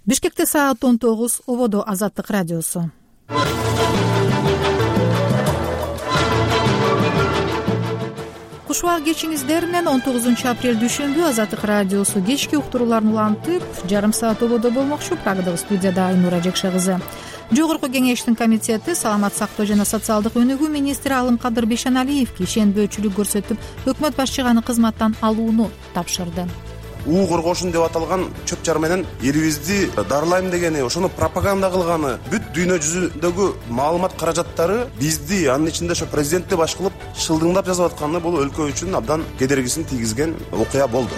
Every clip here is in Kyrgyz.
Бишкекте саат 19, ободо Азаттык радиосу. Кушубак кечиңиздер менен 19 апрель дүшүмбү Азаттык радиосу кечки уктурууларын улантып, жарым саат ободо болмокчу. Прагадагы студияда Айнура Жекше кызы. Жогорку кеңештин комитети саламат сактоо жана социалдык өнүгүү министри Алымкадыр Бейшеналиевге ишенбөөчүлүк көрсөтүп, өкмөт башчыганы кызматтан алууну тапшырды. У коргошун деп аталган чөп жар менен элибизди дарылайм дегени, ошону пропаганда кылганы, бүт дүйнө жүзүндөгү маалымат каражаттары бизди, анын ичинде ошо президентти баш кылып шылдыңдап жазып атканы бул өлкө үчүн абдан кедергисин тийгизген окуя болду.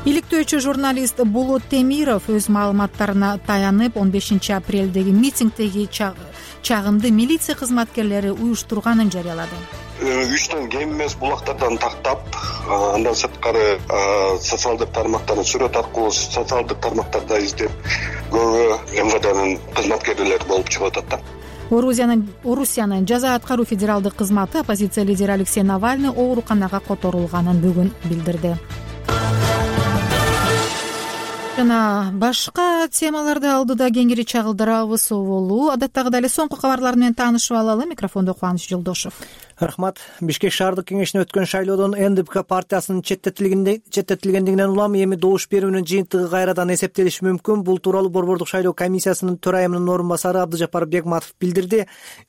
Иликтөөчү журналист Болот Темиров өз маалыматтарына таянып, 15 апрелдеги митингдеги чагымды милиция кызматкерлери уюштурганын жарыялады. Үчтөн кем эмес булактардан тактап, андан сырткары социалдык тармактарын сүрөт аркылуу социалдык тармактарда издеп, көбү МВДнын кызматкерлери болуп чыгып атат да. Орусиянын жаза аткаруу федералдык кызматы оппозиция лидери Алексей Навальный ооруканага которулганын бүгүн билдирди. Жана башка темаларды алдыда кеңири чагылдырабыз болу. Адаттагыдай эле соңку кабарлар менен таанышып алалы. Микрофондо Кубаныч Жолдошов. Рахмат. Бишкек шаардык кеңешине өткөн шайлоодон НДПК партиясынын четтетилгендигинен улам эми добуш берүүнүн жыйынтыгы кайрадан эсептелиши мүмкүн. Бул тууралуу Борбордук шайлоо комиссиясынын төрайымынын орун басары Абдыжапар Бекматов билдирди.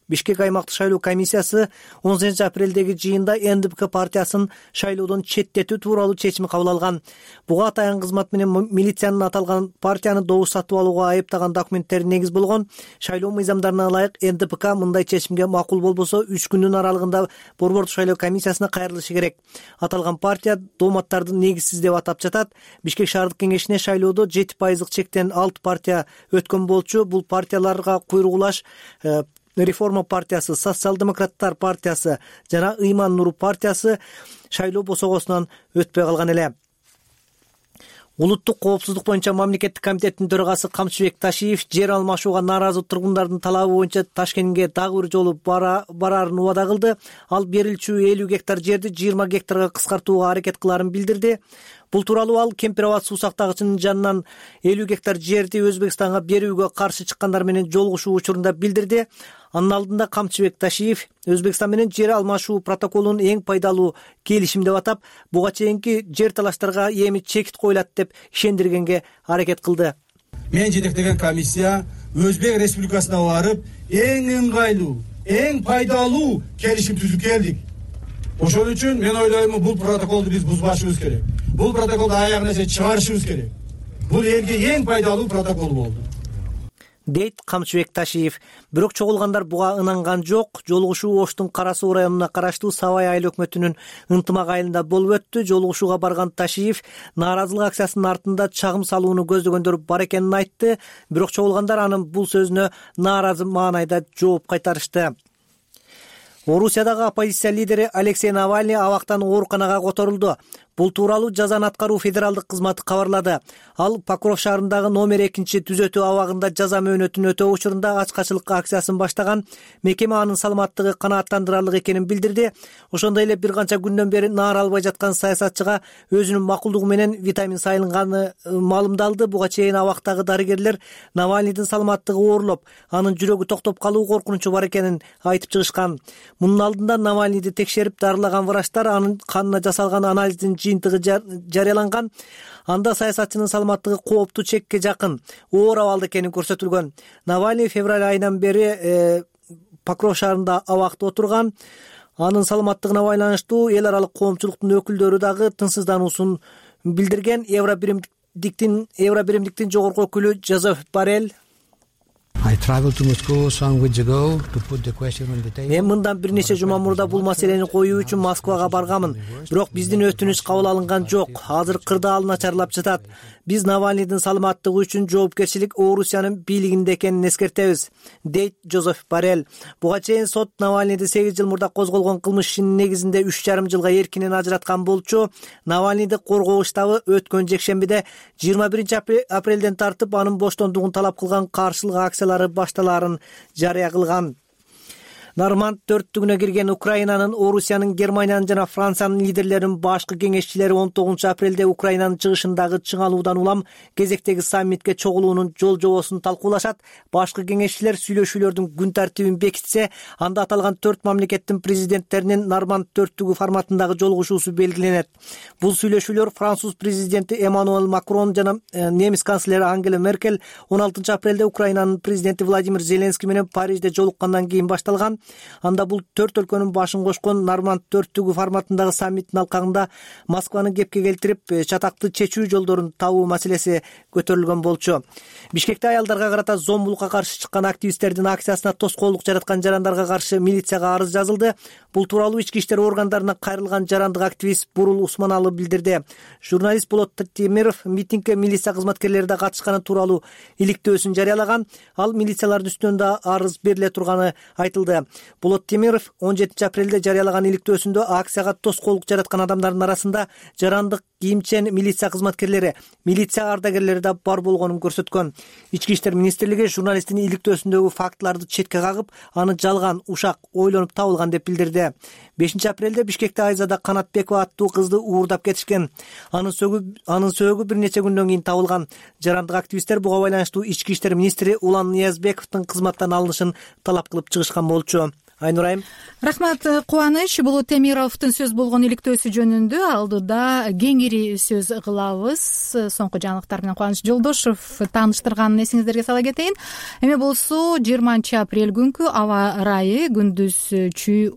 Бишкек аймактык шайлоо комиссиясы 10 апрелдеги жыйында НДПК партиясын шайлоодон четтетүү тууралуу чечим кабыл алган. Буга атайын кызмат менен милициянын аталган партияны добуш сатып алууга айыптаган документтери негиз болгон. Шайлоо мыйзамдарына ылайык НДПК мындай чечимге макул болбосо 3 күндүн аралыгында Борбордук шайлоо комиссиясына кайрылышы керек. Аталган партия дооматтарды негизсиз деп атап жатат. Бишкек шаардык кеңешине шайлоодо 7% чектен 6 партия өткөн болчу. Бул партияларга куйругулаш Реформа партиясы, Социал-демократтар партиясы жана Ыйман Нуру партиясы шайлоо босогосунан өтпөй калган эле. Улуттук коопсуздук боюнча мамлекеттик комитеттин төрагасы Камчыбек Ташиев жер алмашууга нааразы тургундардын талабы боюнча Ташкентке дагы бир жолу бараарын убада кылды. Ал берилчү 50 гектар жерди 20 гектарга кыскартууга аракет кыларын билдирди. Бул тууралуу ал Кемпир Абад суу сактагычынын жанынан 50 гектар жерди Өзбекстанга берүүгө каршы чыккандар менен жолугушуу учурунда билдирди. Анын алдында Камчыбек Ташиев Өзбекстан менен жер алмашуу протоколун эң пайдалуу келишим деп атап, буга чейинки жер талаштарга эми чекит коюлат деп ишендиргенге аракет кылды. Мен жетектеген комиссия Өзбек Республикасына барып, эң ыңгайлуу, эң пайдалуу келишим түзүп келдик. Ошол үчүн мен ойлойм, бул протоколду биз бузбашыбыз керек. Бул протоколду аягына чейин чыгарышыбыз керек. Бул элге эң пайдалуу протокол болду, дейт Камчыбек Ташиев. Бирок чогулгандар буга ынанган жок. Жолугушуу Оштун Кара Суу районуна караштуу Сабай айыл өкмөтүнүн ынтымак айылында болуп өттү. Жолугушууга барган Ташиев нааразылык акциясынын артында чагым салууну көздөгөндөр бар экенин айтты. Бирок чогулгандар анын бул сөзүнө нааразы маанайда жооп кайтарышты. Орусиядагы оппозиция лидери Алексей Навальный абактан ооруканага которулду. Бул тууралуу жазаны аткаруу федералдык кызматы кабарлады. Ал Покров шаарындагы номер 2 түзөтүү абагында жаза мөөнөтүн өтөө учурунда ачкачылык акциясын баштаган. Мекеме анын саламаттыгы канааттандырарлык экенин билдирди. Ошондой эле бир канча күндөн бери наара албай жаткан саясатчыга өзүнүн макулдугу менен витамин сайылганы маалымдалды. Буга чейин абактагы дарыгерлер Навальныйдын саламаттыгы оорлоп, анын жүрөгү токтоп калуу коркунучу бар экенин айтып чыгышкан. Мунун алдында Навальныйды текшерип дарылаган врачтар анын канына жасалган анализдин жыйынтыгы жарыяланган. Анда саясатчынын саламаттыгы кооптуу чекке жакын, оор абалда экени көрсөтүлгөн. Навальный февраль айынан бери Покров шаарында абакта отурган. Анын саламаттыгына байланыштуу эл аралык коомчулуктун өкүлдөрү дагы тынчсыздануусун билдирген. Евробиримдиктин жогорку өкүлү Жозеф Боррелл Мен мындан бир нече жума мурда бул маселени коюу үчүн Москвага барганмын. Бирок биздин өтүнүч кабыл алынган жок. Азыр кырдаал ал начарлап жатат. Биз Навальныйдын саламаттыгы үчүн жоопкерчилик Орусиянын бийлигинде экенин эскертебиз, дейт Жозеф Боррелл. Буга чейин сот Навальныйды 8 жыл мурда козголгон кылмыш ишинин негизинде 3,5 жылга эркинен ажыраткан болчу. Навальныйды коргоо штабы өткөн жекшембиде 21 апрелден тартып анын боштондугун талап кылган каршылык акциялары башталаарын жарыя кылган. Норманд төрттүгүнө кирген Украинанын, Орусиянын, Германиянын жана Франциянын лидерлеринин башкы кеңешчилери 19-апрелде Украинанын чыгышындагы чыңалуудан улам кезектеги саммитке чогулуунун жол-жобосун талкуулашат. Башкы кеңешчилер сүйлөшүүлөрдүн күн тартибин бекитсе, анда аталган 4 мамлекеттин президенттеринин Норманд төрттүгү форматындагы жолугушуусу белгиленет. Бул сүйлөшүүлөр Француз президенти Эммануэль Макрон жана немис канцлери Ангела Меркель 16-апрелде Украинанын президенти Владимир Зеленский менен Парижде жолуккандан кийин башталган. Анда бул 4 өлкөнүн башын кошкон Норманд төрттүгү форматындагы саммиттин алкагында Москваны кепке келтирип, чатакты чечүү жолдорун табуу маселеси көтөрүлгөн болчу. Бишкекте аялдарга карата зомбулукка каршы чыккан активисттердин акциясына тоскоолдук жараткан жарандарга каршы милицияга арыз жазылды. Бул тууралуу ички иштер органдарына кайрылган жарандык активист Бурул Усманалы билдирди. Журналист Болот Темиров митингге милиция кызматкерлери да катышканы тууралуу иликтөөсүн жарыялаган. Ал милициялардын үстүнөн да арыз бериле турганы айтылды. Болот Темиров 17-апрелде жарыялаган иликтөөсүндө акцияга тоскоолдук жараткан адамдардын арасында жарандык кийимчен милиция кызматкерлери, милиция ардагерлери да бар болгонун көрсөткөн. Ички иштер министрлиги журналисттин иликтөөсүндөгү фактыларды четке кагып, аны жалган, ушак, ойлонуп табылган деп билдирди. 5-апрелде Бишкекте Айзада Канатбекова аттуу кызды уурдап кетишкен. Анын сөөгү бир нече күндөн кийин табылган. Жарандык активисттер буга байланыштуу ички иштер министри Улан Ниязбековдун кызматтан алынышын талап кылып чыгышкан болчу. Айнур айым. Рахмат, Кубаныч. Болот Темировдун сөз болгон иликтөөсү жөнүндө алдыда кеңири сөз кылабыз. Соңку жаңылыктар менен Кубаныч Жолдошов тааныштырганын эсиңиздерге сала кетейин. Эми болсо 20-апрель күнкү аба ырайы күндүз чүй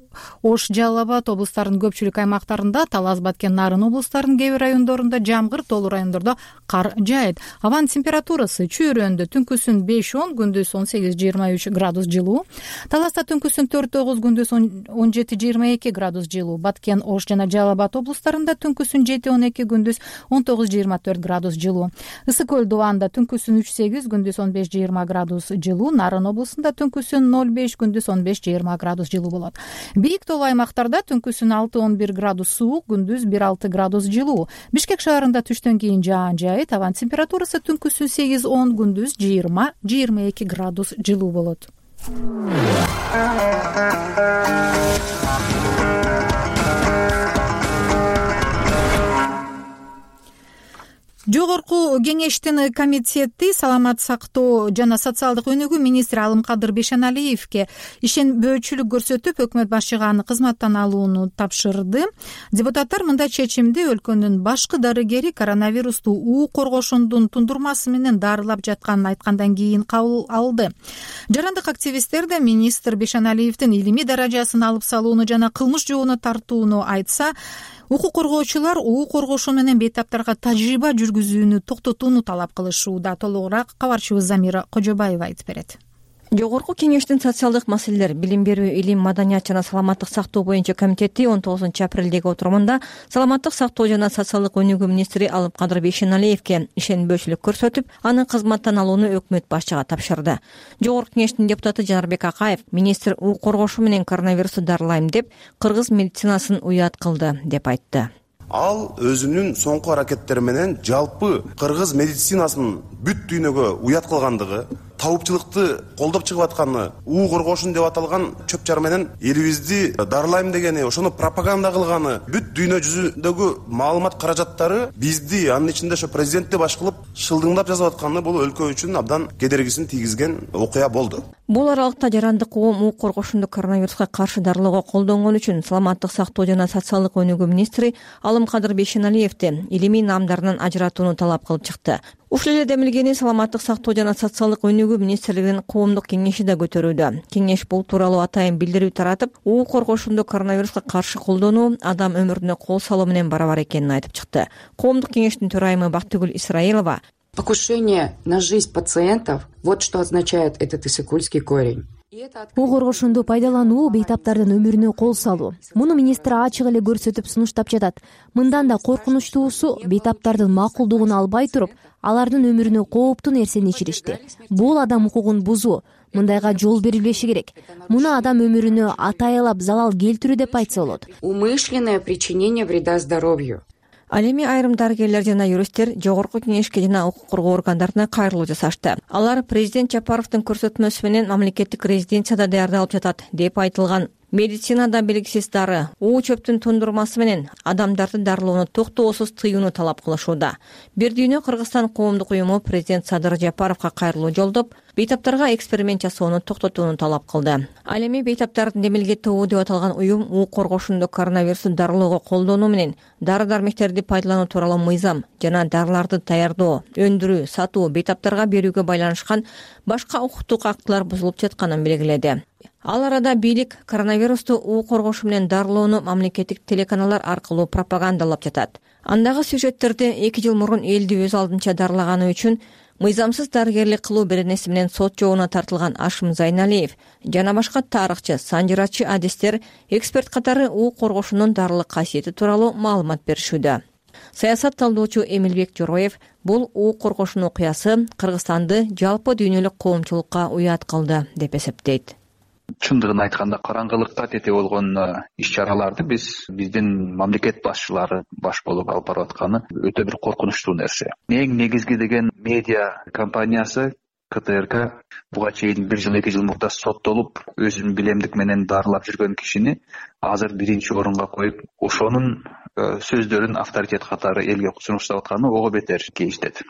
Ош, Жалал Абад облустарынын көпчүлүк аймактарында, Талас, Баткен, Нарын облустарынын кээ бир райондорунда жамгыр, тоолуу райондордо кар жаайт. Абанын температурасы чүйрөндө түнкүсүн 5-10, күндүз 18-23 градус жылуу. Таласта түнкүсүн 4-9, күндүз 17-22 градус жылуу. Баткен, Ош жана Жалал Абад облустарында түнкүсүн 7-12, күндүз 19-24 градус жылуу. Ысык көл Дубанда түнкүсүн 3-8, күндүз 15-20 градус жылуу. Нарын облусунда түнкүсүн 0-5, күндүз 15-20 градус жылуу болот. Бийик тоолуу аймактарда түнкүсүн 6-11 градус суук, күндүз 1-6 градус жылуу. Бишкек шаарында түштөн кийин жаан жаайт. Абанын температурасы түнкүсүн 8-10, күндүз 20-22 градус жылуу болот. Жогорку кеңештин комитети саламат сактоо жана социалдык өнүгүү министри Алымкадыр Бейшеналиевке ишенбөөчүлүк көрсөтүп, өкмөт башчыга аны кызматтан алууну тапшырды. Депутаттар мындай чечимди өлкөнүн башкы дарыгери коронавирусту уу коргошундун тундурмасы менен дарылап жатканын айткандан кийин кабыл алды. Жарандык активисттер да министр Бейшеналиевдин илимий даражасын алып салууну жана кылмыш жообуна тартууну айтса, укук коргоочулар уу коргошуу менен бейтаптарга тажрыйба жүргүзүүнү токтотууну талап кылышууда. Толугураак кабарчыбыз Замира Кожобаева айтып берет. Жогорку кеңештин социалдык маселелер, билим берүү, илим, маданият жана саламаттык сактоо боюнча комитети 19-апрелдеги отурумунда саламаттык сактоо жана социалдык өнүгүү министри Алымкадыр Бейшеналиевке ишенбөөчүлүк көрсөтүп, аны кызматтан алууну өкмөт башчыга тапшырды. Жогорку кеңештин депутаты Жанарбек Акаев министр уу коргошуу менен коронавирусту дарылайм деп, кыргыз медицинасын уят кылды деп айтты. Ал өзүнүн соңку аракеттери менен жалпы кыргыз медицинасынын бүт дүйнөгө уят кылгандыгы, табыпчылыкты колдоп чыгып атканы, уу коргошун деп аталган чөп чар менен элибизди дарылайм дегени, ошону пропаганда кылганы, бүт дүйнө жүзүндөгү маалымат каражаттары бизди, анын ичинде ошо президентти баш кылып шылдыңдап жазып атканы бул өлкө үчүн абдан кедергисин тийгизген окуя болду. Бул аралыкта жарандык коом уу коргошунду коронавируска каршы дарылоого колдонгон үчүн саламаттык сактоо жана социалдык өнүгүү министри Алымкадыр Бейшеналиевди илимий наамдарынан ажыратууну талап кылып чыкты. Ушул эле демилгени саламаттык сактоо жана социалдык өнүгүү министрлигинин коомдук кеңеши да көтөрүүдө. Кеңеш бул тууралуу атайын билдирүү таратып, уу коргошунду коронавируска каршы колдонуу адам өмүрүнө кол салуу менен барабар экенин айтып чыкты. Коомдук кеңештин төрайымы Бактыгүл Исраилова: Покушение на жизнь пациентов — вот что означает этот иссыкульский корень. уу коргошунду пайдалануу бейтаптардын өмүрүнө кол салуу. Муну министр ачык эле көрсөтүп сунуштап жатат. Мындан да коркунучтуусу, бейтаптардын макулдугун албай туруп, алардын өмүрүнө кооптуу нерсени ичиришти. Бул адам укугун бузуу. Мындайга жол берилбеши керек. Муну адам өмүрүнө атайылап залал келтирүү деп айтса болот. Умышленное причинение вреда здоровью. Ал эми айрым дарыгерлер жана юристтер жогорку кеңешке жана укук коргоо органдарына кайрылуу жасашты. Алар президент Жапаровдун көрсөтмөсү менен мамлекеттик резиденцияда даярдалып жатат деп айтылган. Медицинада белгисиз дары, уу чөптүн тундурмасы менен адамдарды дарылоону токтоосуз тыюуну талап кылышууда. Бир дүйнө Кыргызстан коомдук уюму президент Садыр Жапаровго кайрылуу жолдоп, бейтаптарга эксперимент жасоону токтотууну талап кылды. Ал эми бейтаптардын демилге тобу деп аталган уюм уу коргошунду коронавирусту дарылоого колдонуу менен дары-дармектерди пайдалануу тууралуу мыйзам жана дарыларды даярдоо, өндүрүү, сатуу, бейтаптарга берүүгө байланышкан башка укуктук актылар бузулуп жатканын белгиледи. Ал арада бийлик коронавирусту уу коргошу менен дарылоону мамлекеттик телеканалдар аркылуу пропагандалап жатат. Андагы сюжеттерди 2 жыл мурун элди өз алдынча дарылаганы үчүн мыйзамсыз дарыгерлик кылуу беренеси менен сот жообуна тартылган Ашым Зайналиев жана башка тарыхчы, санжырачы адистер эксперт катары уу коргошунун дарылык касиети тууралуу маалымат беришүүдө. Саясат талдоочу Эмилбек Жороев бул уу коргошун окуясы Кыргызстанды жалпы дүйнөлүк коомчулукка уят кылды деп эсептейт. Чындыгын айтканда караңгылыкка тете болгон иш-чараларды биздин мамлекет башчылары баш болуп алып барып атканы өтө бир коркунучтуу нерсе. Эң негизги деген медиа компаниясы КТРК буга чейин 1 жыл 2 жыл мурда соттолуп, өзүнүн билемдик менен дарылап жүргөн кишини азыр 1-орунга коюп, ошонун сөздөрүн авторитет катары элге сунуштап атканы ого бетер кейиштет.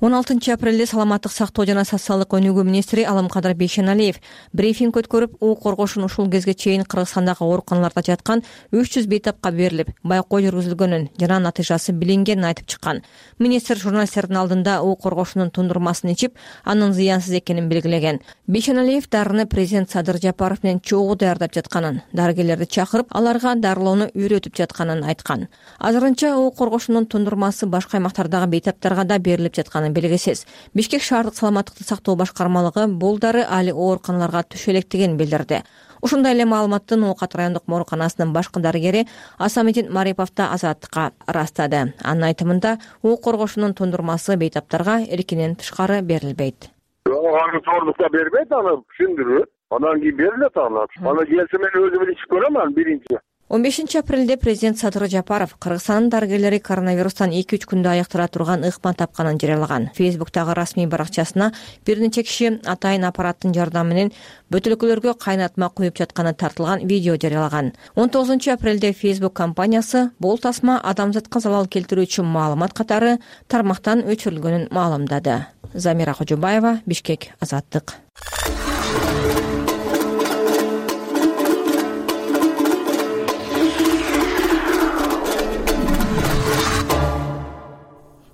16 апрелде саламаттык сактоо жана социалдык өнүгүү министри Алымкадыр Бейшеналиев брифинг өткөрүп, уу коргошун ушул кезге чейин Кыргызстандагы ооруканаларда жаткан 300 бейтапка берилип, байкоо жүргүзүлгөнүн жана натыйжасы билингенин айтып чыккан. Министр журналисттердин алдында уу коргошунун тундурмасын ичип, анын зыянсыз экенин белгилеген. Бейшеналиев дарыны президент Садыр Жапаров менен чогуу даярдап жатканын, дарыгерлерди чакырып, аларга дарылоону үйрөтүп жатканын айткан. Азырынча уу коргошунун тундурмасы башка аймактардагы бейтаптарга да берилип жатканын белгисиз. Бишкек шаардык саламаттыкты сактоо башкармалыгы бул дары али ооруканаларга түшө электигин билдирди. Ушундай эле маалыматтын Оокат райондук ооруканасынын башкы дарыгери Асамедин Марипов да Азаттыкка ырастады. Анын айтымында уу коргошунун тундурмасы бейтаптарга эркинен тышкары берилбейт. Аны бербейт, аны түшүндүрөт. Анан кийин берилет аны. Аны келсе мен өзүм ичип көрөм аны биринчи. 15 апрелде президент Садыр Жапаров Кыргызстандын дарыгерлери коронавирустан 2-3 күндө айыктыра турган ыкма тапканын жарыялаган. Фейсбуктагы расмий баракчасына бир нече киши атайын аппараттын жардамы менен бөтөлкөлөргө кайнатма куюп жатканы тартылган видео жарыялаган. 19 апрелде Facebook компаниясы бул тасма адамзатка залал келтирүүчү маалымат катары тармактан өчүрүлгөнүн маалымдады. Замира Кожобаева, Бишкек, Азаттык.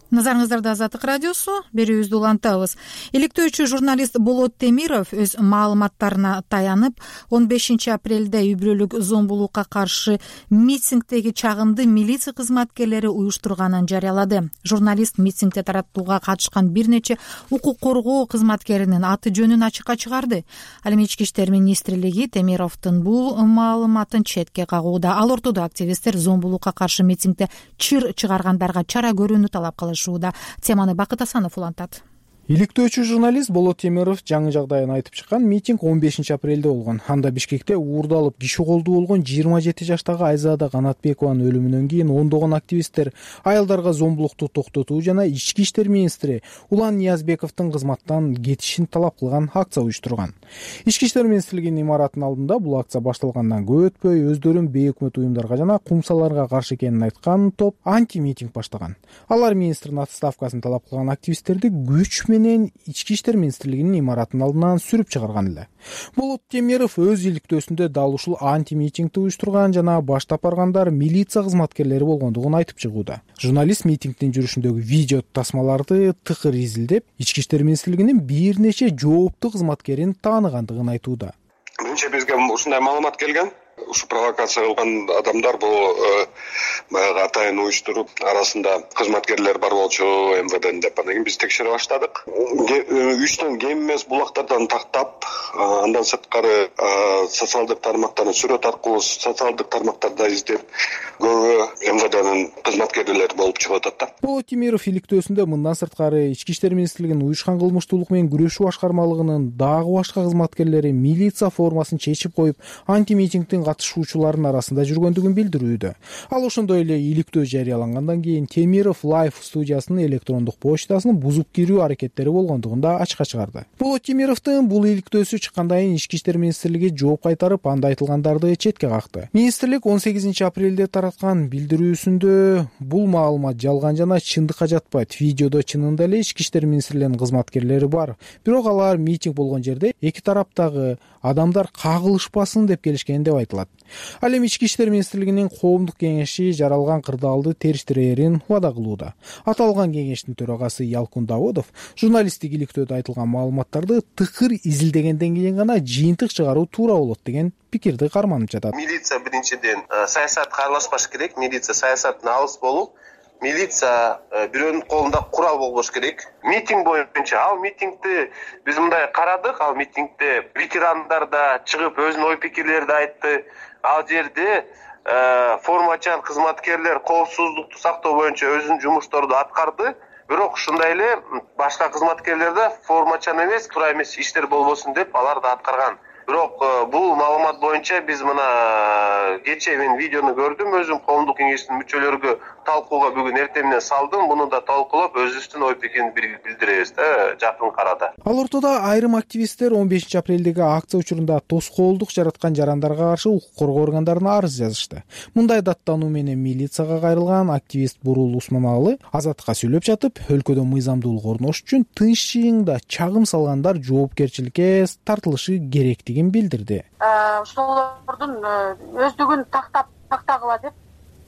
Назарыңыздарда Азаттык радиосу, берүүбүздү улантабыз. Иликтөөчү журналист Болот Темиров өз маалыматтарына таянып, 15 апрелде үй бүлөлүк зомбулукка каршы митингдеги чагымды милиция кызматкерлери уюштурганын жарыялады. Журналист митингде таратууга катышкан бир нече укук коргоо кызматкеринин аты жөнүн ачыкка чыгарды. Ал эми Ички иштер министрлиги Темировдун бул маалыматын четке кагууда. Ал ортодо активисттер зомбулукка каршы митингде чыр чыгаргандарга чара көрүүнү талап кылышты. Теманы Бакыт Асанов улантат. Иликтөөчү журналист Болот Темиров жаңы жагдайын айтып чыккан. Митинг 15 апрелде болгон. Анда Бишкекте уурдалып киши колдуу болгон 27 жаштагы Айзада Канатбекованын өлүмүнөн кийин ондогон активисттер аялдарга зомбулукту токтотуу жана Ички иштер министри Улан Ниязбековдун кызматтан кетишин талап кылган акция уюштурган. Ички иштер министрлигинин имаратынын алдында бул акция башталгандан көп өтпөй өздөрүн бейөкмөт уюмдарга жана кумсаларга каршы экенин айткан топ анти-митинг баштаган. Алар министрдин отставкасын талап кылган активисттерди күч менен Ички иштер министрлигинин имаратынын алдынан сүрүп чыгарган эле. Болот Темиров өз иликтөөсүндө дал ушул анти-митингди уюштурган жана баштап баргандар милиция кызматкерлери болгондугун айтып чыгууда. Журналист митингдин жүрүшүндөгү видео тасмаларды тыкыр изилдеп, Ички иштер министрлигинин бир нече жооптуу кызматкерин тааныгандыгын айтууда. Биринчи бизге ушундай маалымат келген. Ушу провокация кылган адамдар бул баягы атайын уюштуруп, арасында кызматкерлер бар болчу МВДнин деп. Анан кийин биз текшере баштадык. Үчтөн кем эмес булактардан тактап, андан сырткары социалдык тармактарын сүрөт аркылуу социалдык тармактарда издеп, көбү МВДнин кызматкерлери болуп чыгып атат да. Болот Темиров иликтөөсүндө мындан сырткары Ички иштер министрлигинин уюшкан кылмыштуулук менен күрөшүү башкармалыгынын дагы башка кызматкерлери милиция формасын чечип коюп, анти-митингдин катышуучуларынын арасында жүргөндүгүн билдирүүдө. Ал ошондой эле иликтөө жарыялангандан кийин Темиров Life студиясынын электрондук почтасынын бузуп кирүү аракеттери болгондугун да ачыкка чыгарды. Болот Темировдун бул иликтөөсү чыккандан кийин Ички иштер министрлиги жооп кайтарып, анда айтылгандарды четке какты. Министрлик 18 апрелде тараткан билдирүүсүндө бул маалымат жалган жана чындыкка жатпайт. Видеодо чынында эле Ички иштер министрлигинин кызматкерлери бар. Бирок алар митинг болгон жерде эки тараптагы адамдар кагылышпасын деп келишкен деп айтылат. Ал эми Ички иштер министрлигинин коомдук кеңеши жаралган кырдаалды териштирээрин убада кылууда. Аталган кеңештин төрагасы Ялкун Давудов журналисттик иликтөөдө айтылган маалыматтарды тыкыр изилдегенден кийин гана жыйынтык чыгаруу туура болот деген пикирди карманып жатат. Милиция биринчиден саясатка аралашпаш керек. Милиция саясаттан алыс болуп, милиция бирөөнүн колунда курал болбош керек. Митинг боюнча ал митингди биз мындай карадык. Ал митингде ветерандар да чыгып өзүнүн ой пикирлерди айтты. Ал жерде формачан кызматкерлер коопсуздукту сактоо боюнча өзүнүн жумушторду аткарды. Бирок ушундай эле башка кызматкерлер да формачан эмес, туура эмес иштер болбосун деп алар да аткарган. Бирок бул маалымат боюнча биз мына кечээ мен видеону көрдүм, өзүм коомдук кеңештин мүчөлөрүгө талкууга бүгүн эртең менен салдым. Буну да талкуулап өзүбүздүн ой пикирибизди билдиребиз да жакын арада. Ал ортодо айрым активисттер 15 апрелдеги акция учурунда тоскоолдук жараткан жарандарга каршы укук коргоо органдарына арыз жазышты. Мындай даттануу менен милицияга кайрылган активист Бурул Усманалы Азаттыкка сүйлөп жатып, өлкөдө мыйзамдуулук орнош үчүн тынч жыйында чагым салгандар жоопкерчиликке тартылышы керектигин билдирди. Ошолордун өздүгүн тактагыла деп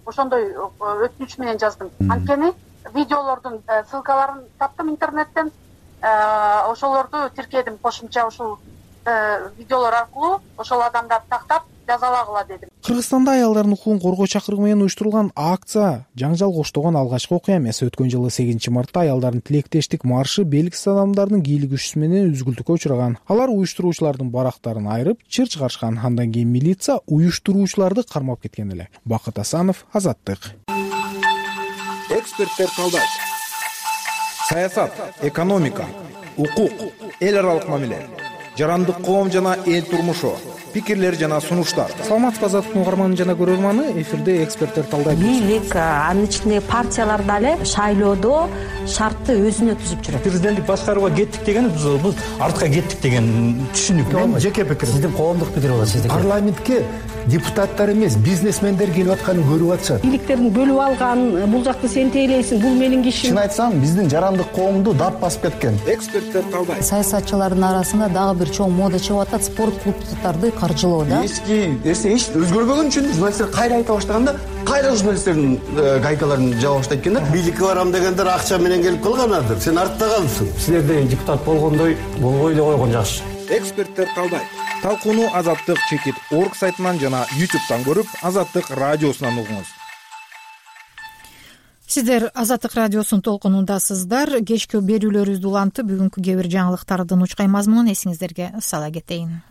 ошондой өтүнүч менен жаздым. Анткени видеолордун ссылкаларын таптым интернеттен, ошолорду тиркедим. Кошумча ушул видеолор аркылуу ошол адамдарды тактап жазалагыла дедим. Кыргызстанда аялдардын укугун коргоо чакырыгы менен уюштурулган акция жаңжал коштогон алгачкы окуя эмес. Өткөн жылы 8 мартта аялдардын тилектештик маршы белгисиз адамдардын кийлик күчүсү менен үзгүлтүккө учураган. Алар уюштуруучулардын барактарын айырып, чыр чыгарышкан. Андан кийин милиция уюштуруучуларды кармап кеткен эле. Бакыт Асанов, Азаттык. Эксперттер талдайт. Саясат, экономика, укук, эл аралык мамиле, жарандык коом жана эл турмушу, пикирлер жана сунуштар. Саламатсызбы, Азаттыктын угарманы жана көрөрманы, эфирде эксперттер талдайт. Бийлик, анын ичинде партиялар дагы шайлоодо шартты өзүнө түзүп жүрөт. Президенттик башкарууга кеттик деген бул артка кеттик деген түшүнүк. Мен жеке пикирим. Сиздин коомдук пикир болот, сиздики. Парламентке депутаттар эмес, бизнесмендер келип атканын көрүп атышат. Бийликтерин бөлүп алган, бул жакты сен тейлейсиң, бул менин кишим. Чын айтсам, биздин жарандык коомду дап басып кеткен. Эксперттер талдайт. Саясатчылардын арасында дагы бир чоң мода чыгып атат, спорт клубдарды каржылоо да. Эски нерсе эч өзгөрбөгөн үчүн журналисттер кайра айта баштаганда, кайра журналисттердин гайкаларын жаба баштайт экен да. Бийликке барам дегендер акча менен келип калганадыр. Сен артта калдың. Силерде депутат болгондой болбой эле койгон жакшы. Эксперттер талдайт. Талкууну Азаттык.org сайтынан жана YouTube'дан көрүп, Азаттык радиосунан угуңуз. Сиздер Азаттык радиосунун толкунундасыздар. Кечки берүүлөрүбүздү улантып, бүгүнкү кээ бир жаңылыктардын учкай мазмунун эсиңиздерге сала кетейин.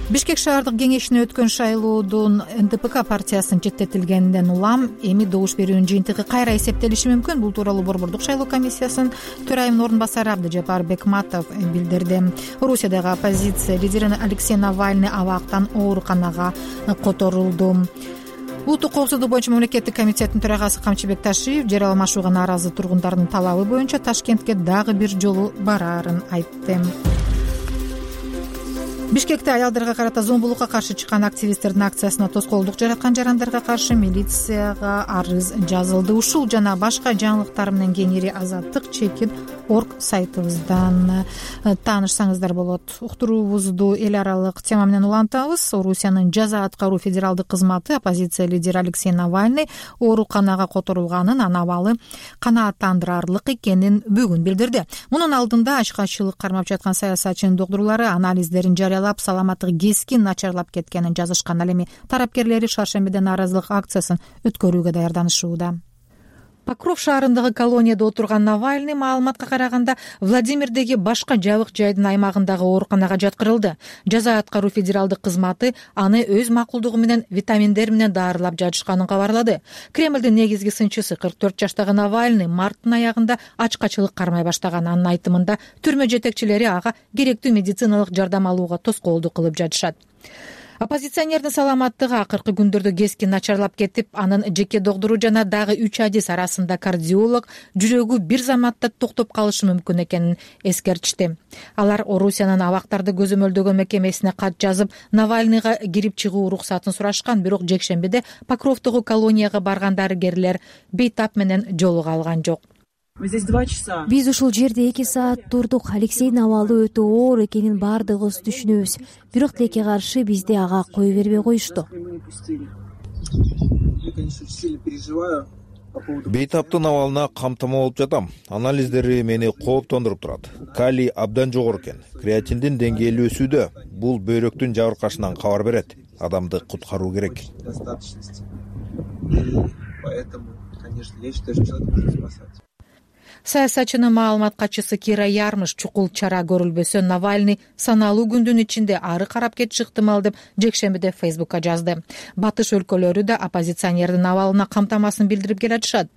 Бишкек шаардык кеңешине өткөн шайлоодон НДПК партиясынын четтетилгенинден улам эми добуш берүүнүн жыйынтыгы кайра эсептелиши мүмкүн. Бул тууралуу Борбордук шайлоо комиссиясынын төрайымынын орун басары Абдыжапар Бекматов билдирди. Орусиядагы оппозиция лидери Алексей Навальный абактан ооруканага которулду. Улуттук коопсуздук боюнча мамлекеттик комитеттин төрагасы Камчыбек Ташиев жарыяламашууга нааразы тургундардын талабы боюнча Ташкентке дагы бир жолу бараарын айтты. Бишкекте аялдарга карата зомбулукка каршы чыккан активисттердин акциясына тоскоолдук жараткан жарандарга каршы милицияга арыз жазылды. Ушул жана башка жаңылыктар менен кеңири Азаттык.org сайтыбыздан таанышсаңыздар болот. Уктуруубузду эл аралык тема менен улантабыз. Орусиянын жаза аткаруу федералдык кызматы оппозиция лидери Алексей Навальный ооруканага которулганын, анын абалы канааттандырарлык экенин бүгүн билдирди. Мунун алдында ачкачылык кармап жаткан саясатчынын докторлору анализдерин жарыялап, саламаттыгы кескин начарлап кеткенин жазышкан. Ал эми тарапкерлери шаршембиде нааразылык акциясын өткөрүүгө даярданышууда. Покров шаарындагы колонияда отурган Навальный маалыматка караганда Владимирдеги башка жабык жайдын аймагындагы ооруканага жаткырылды. Жаза аткаруу федералдык кызматы аны өз макулдугу менен витаминдер менен даарылап жатышканын кабарлады. Кремлдин негизги сынчысы 44 жаштагы Навальный марттын аягында ачкачылык кармай баштаган. Анын айтымында түрмө жетекчилери ага керектүү медициналык жардам алууга тоскоолдук кылып жатышат. Оппозиционердин саламаттыгы акыркы күндөрдө кескин начарлап кетип, анын жеке доктору жана дагы 3 адис арасында кардиолог жүрөгү бир заматта токтоп калышы мүмкүн экенин эскертишти. Алар Орусиянын абактарды көзөмөлдөгөн мекемесине кат жазып, Навальныйга кирип чыгуу уруксатын сурашкан, бирок жекшембиде Покровдогу колонияга барган дарыгерлер бейтап менен жолуга алган жок. Биз ушул жерде 2 саат турдук. Алексейдин абалы өтө оор экенин баардыгыбыз түшүнөбүз. Бирок тилекке каршы бизди ага кое бербей коюшту. Бейтаптын абалына камтама болуп жатам. Анализдери мени кооптондуруп турат. Калий абдан жогору экен. Креатиндин деңгээли өсүүдө. Бул бөйрөктүн жабыркашынан кабар берет. Адамды куткаруу керек. Саясатчынын маалымат катчысы Кира Ярмыш чукул чара көрүлбөсө Навальный саналуу күндүн ичинде ары карап кетиши ыктымал деп жекшембиде Фейсбукка жазды. Батыш өлкөлөрү да оппозиционердин абалына камтамасын билдирип келатышат.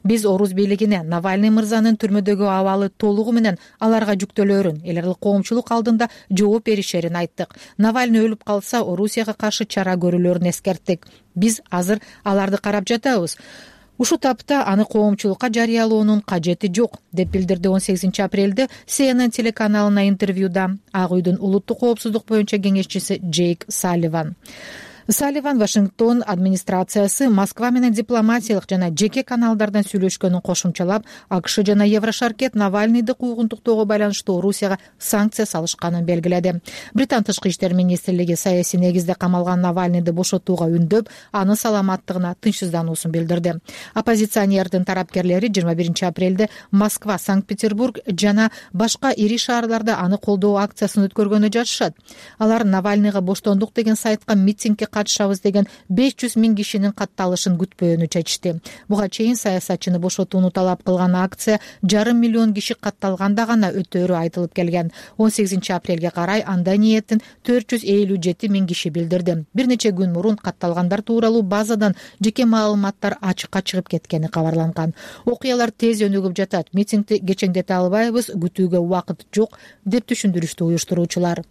Биз Орус бийлигине Навальный мырзанын түрмөдөгү абалы толугу менен аларга жүктөлөөрүн, эл аралык коомчулук алдында жооп беришерин айттык. Навальный өлүп калса, Орусияга каршы чара көрүлөрүн эскерттик. Биз азыр аларды карап жатабыз. Ушу тапта аны коомчулукка жарыялоонун кажети жок, деп билдирди 18 апрелде CNN телеканалына интервьюда Ак үйдүн улуттук коопсуздук боюнча кеңешчиси Джейк Салливан. Салливан Вашингтон администрациясы Москва менен дипломатиялык жана жеке каналдардан сүйлөшкөнүн кошумчалап, АКШ жана Еврошаркет Навальныйды куугунтуктоого байланыштуу Орусияга санкция салышканын белгиледи. Британ тышкы иштер министрлиги саясий негизде камалган Навальныйды бошотууга үндөп, анын саламаттыгына тынчсыздануусун билдирди. Оппозиционердин тарапкерлери 21 апрелде Москва, Санкт-Петербург жана башка ири шаарларда аны колдоо акциясын өткөргөнү жатышат. Алар Навальныйга боштондук деген сайтка митингге катышабыз деген 500 000 кишинин катталышын күтпөөнү чечти. Буга чейин саясатчыны бошотууну талап кылган акция 500 000 киши катталганда гана өтөөрү айтылып келген. 18 апрелге карай анда ниетин 457 000 киши билдирди. Бир нече күн мурун катталгандар тууралуу базадан жеке маалыматтар ачыкка чыгып кеткени кабарланган. Окуялар тез өнүгүп жатат. Митингди кечеңдете албайбыз, күтүүгө убакыт жок, деп түшүндүрүштү уюштуруучулар.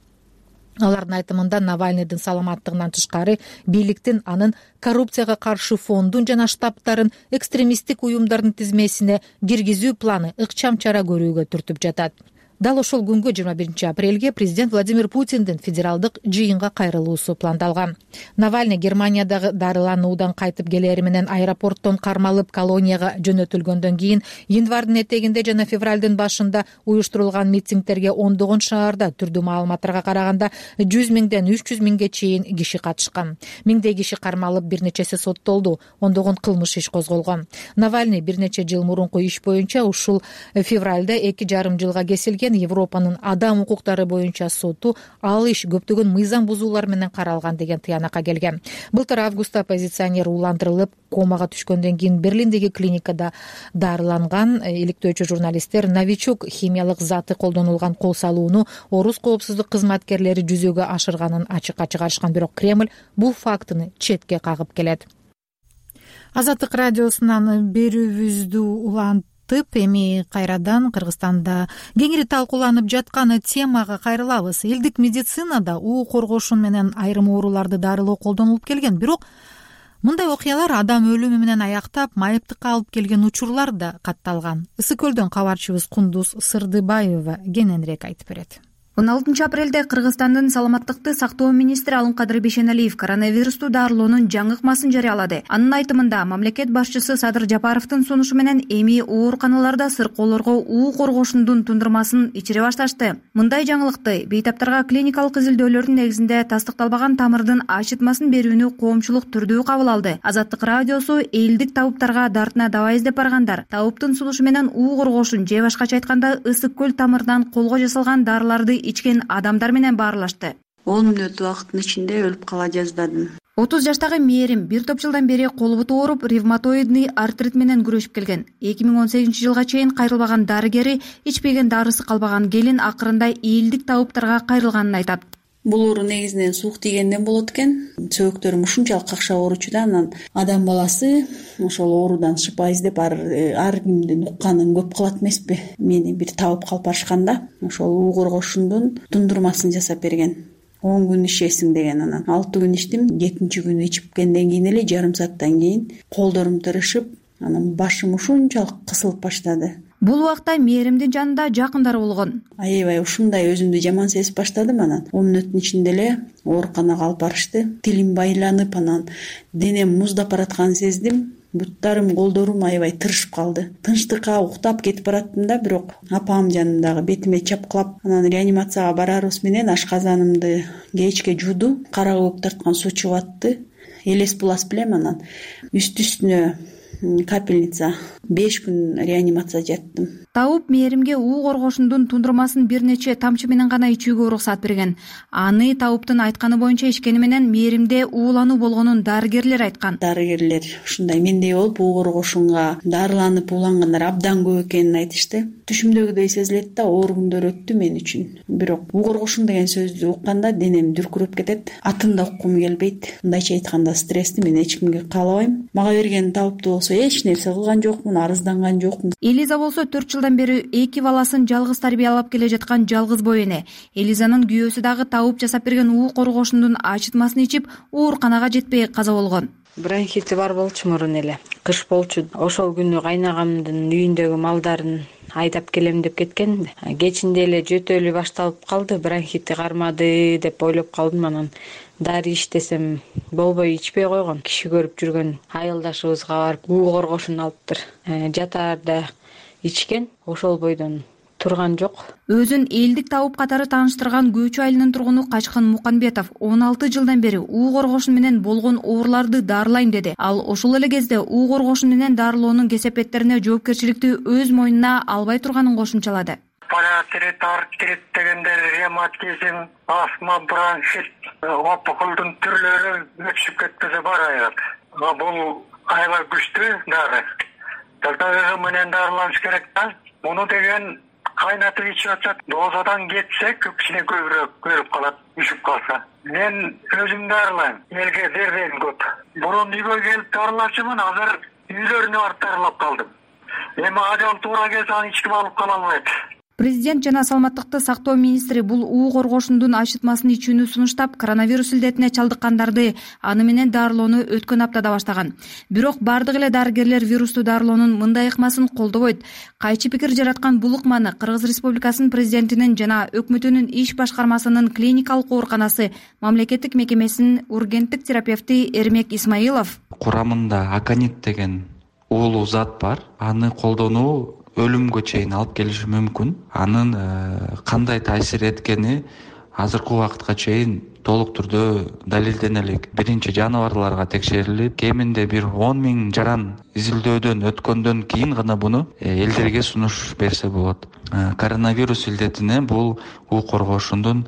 Алардын айтымында Навальныйдын саламаттыгынан тышкары бийликтин анын коррупцияга каршы фондун жана штабтарын экстремисттик уюмдардын тизмесине киргизүү планы ыкчам чара көрүүгө түртүп жатат. Дал ошол күнгө 21 апрелге президент Владимир Путиндин федералдык жыйынга кайрылуусу пландалган. Навальный Германиядагы дарылануудан кайтып келери менен аэропорттон кармалып колонияга жөнөтүлгөндөн кийин январдын этегинде жана февралдын башында уюштурулган митингдерге ондогон шаарда түрдүү маалыматтарга караганда 100 000ден 300 000ге чейин киши катышкан. Миңдей киши кармалып, бир нечеси соттолду, ондогон кылмыш иш козголгон. Навальный бир нече жыл мурунку иш боюнча ушул февралда 2,5 жылга кесилген Европанын адам укуктары боюнча соту ал иш көптөгөн мыйзам бузуулар менен каралган деген тыянакка келген. Былтыр августта оппозиционер уландырылып, комага түшкөндөн кийин Берлиндеги клиникада дарыланган. Иликтөөчү журналисттер новичок химиялык заты колдонулган кол салууну Орус коопсуздук кызматкерлери жүзөгө ашырганын ачыкка чыгарышкан, бирок Кремль бул фактыны четке кагып келет. Азаттык радиосунан берүүбүздү эми кайрадан Кыргызстанда кеңири талкууланып жаткан темага кайрылабыз. Элдик медицинада уу коргошун менен айрым ооруларды дарылоо колдонулуп келген, бирок мындай окуялар адам өлүмү менен аяктап, майыптыкка алып келген учурлар да катталган. Ысык көлдөн кабарчыбыз Кундуз Сырдыбаева кененирээк айтып берет. 16 апрелде Кыргызстандын саламаттыкты сактоо министри Алымкадыр Бейшеналиев коронавирусту дарылоонун жаңы ыкмасын жарыялады. Анын айтымында мамлекет башчысы Садыр Жапаровдун сунушу менен эми ооруканаларда сыркоолорго уу коргошундун тундурмасын ичире башташты. Мындай жаңылыкты бейтаптарга клиникалык изилдөөлөрдүн негизинде тастыкталбаган тамырдын ачытмасын берүүнү коомчулук түрдүү кабыл алды. Азаттык радиосу элдик табыптарга дартына давай издеп баргандар табыптын сунушу менен уу коргошун же башкача айтканда ысык көл тамырынан колго жасалган дарыларды ичкен адамдар менен баарлашты. 10 мүнөт убакыттын ичинде өлүп кала жаздадым. 30 жаштагы Мээрим бир топ жылдан бери кол буту ооруп, ревматоидный артрит менен күрөшүп келген. 2018-жылга чейин кайрылбаган дарыгери, ичпеген дарысы калбаган келин акырында ийилдик табыптарга кайрылганын айтат. Бул оору негизинен суук тийгенден болот экен. Сөөктөрүм ушунчалык какшап ооручу да, анан адам баласы ошол оорудан шыпа издеп ар кимдин укканын көп кылат эмеспи. Мени бир табып калып барышкан да, ошол уу коргошундун тундурмасын жасап берген. 10 күн ичесиң деген, анан 6 күн ичтим. 7-чи күнү ичипкенден кийин эле жарым сааттан кийин колдорум тырышып, анан башым ушунчалык кысылып баштады. Бул убакта Мээримдин жанында жакындары болгон. Аябай ушундай өзүмдү жаман сезип баштадым. Анан 10 мүнөттүн ичинде эле ооруканага алып барышты. Тилим байланып, анан денем муздап баратканын сездим. Буттарым, колдорум аябай тырышып калды. Тынчтыкка уктап кетип бараттым да, бирок апам жанындагы бетиме чапкылап, анан реанимацияга барарыбыз менен ашказанымды кечке жууду. Кара көбүк тарткан суу чыгып атты. Элес булас билем, анан үстүнө капельница 5 күн реанимация жаттым. Табып Мээримге уу коргошундун тундурмасын бир нече тамчы менен гана ичүүгө уруксат берген. Аны Табыптын айтканы боюнча ичкени менен Мээримде уулануу болгонун дарыгерлер айткан. Дарыгерлер ушундай мендей болуп уу коргошунга дарыланып уулангандар абдан көп экенин айтышты. Түшүмдөгүдөй сезилет да, оор күндөр өттү мен үчүн. Бирок уу коргошун деген сөздү укканда денем дүркүрөп кетет. Атын да уккум келбейт. Мындайча айтканда стрессти мен эч кимге каалабайм. Мага берген Табыпты болсо эч нерсе кылган жокмун, арызданган жокмун. Элиза болсо 4 жылдан бери 2 баласын жалгыз тарбиялап келе жаткан жалгыз бой эне. Элизанын күйөөсү дагы Табып жасап берген уу коргошундун ачытмасын ичип, ооруканага жетпей каза болгон. Бронхити бар болчу мурун эле. Кыш болчу. Ошол күнү кайнагамдын үйүндөгү малдарын айдап келем деп кеткен. Кечинде эле жөтөлү башталып калды, бронхити кармады деп ойлоп калдым. Анан дарый иштесем болбой ичпей койгон. Киши көрүп жүргөн айылдашыбызга барып уу коргошун алыптыр. Жатаарда ичкен, ошол бойдон турган жок. Өзүн элдик Табып катары тааныштырган Көчү айылынын тургуну Качкын Муканбетов 16 жылдан бери уу коргошун менен болгон ооруларды дарылайм деди. Ал ошол эле кезде уу коргошун менен дарылоонун кесепеттерине жоопкерчиликти өз мойнуна албай турганын кошумчалады. Паратрит, артрит дегендер, ревматизм, астма, бронхит, опухолдун түрлөрү өчүп кетпесе бар аят. Бул аябай күчтүү дары. Дагы менен дарыланыш керек да. Муну деген кайнатып ичип атат. Дозадан кетсе көпчүлүк көбүрөөк көрүп калат, ишип калса. Мен өзүм дарылайм. Элге бербейм көп. Бурун үйгө келип дарылачумун, азыр үйлөрүнө барып дарылап калдым. Эми ажал туура келсе аны эч ким алып кала албайт. Президент жана саламаттыкты сактоо министри бул уу коргошундун ачытмасын ичүүнү сунуштап, коронавирус илдетине чалдыккандарды аны менен дарылоону өткөн аптада баштаган. Бирок бардык эле дарыгерлер вирусту дарылоонун мындай ыкмасын колдобойт. Кайчы пикир жараткан бул ыкманы Кыргыз Республикасынын президентинин жана өкмөтүнүн иш башкармасынын клиникалык ооруканасы мамлекеттик мекемесинин ургенттик терапевти Эрмек Исмаилов. Курамында аконит деген уулуу зат бар. Аны колдонуу өлүмгө чейин алып келиши мүмкүн. Анын кандай таасир эткени азыркы убакытка чейин толук түрдө далилдене элек. Биринчи жаныбарларга текшерилип, кеминде бир 10 000 жаран изилдөөдөн өткөндөн кийин гана буну элдерге сунуш берсе болот. Коронавирус илдетине бул уу коргошундун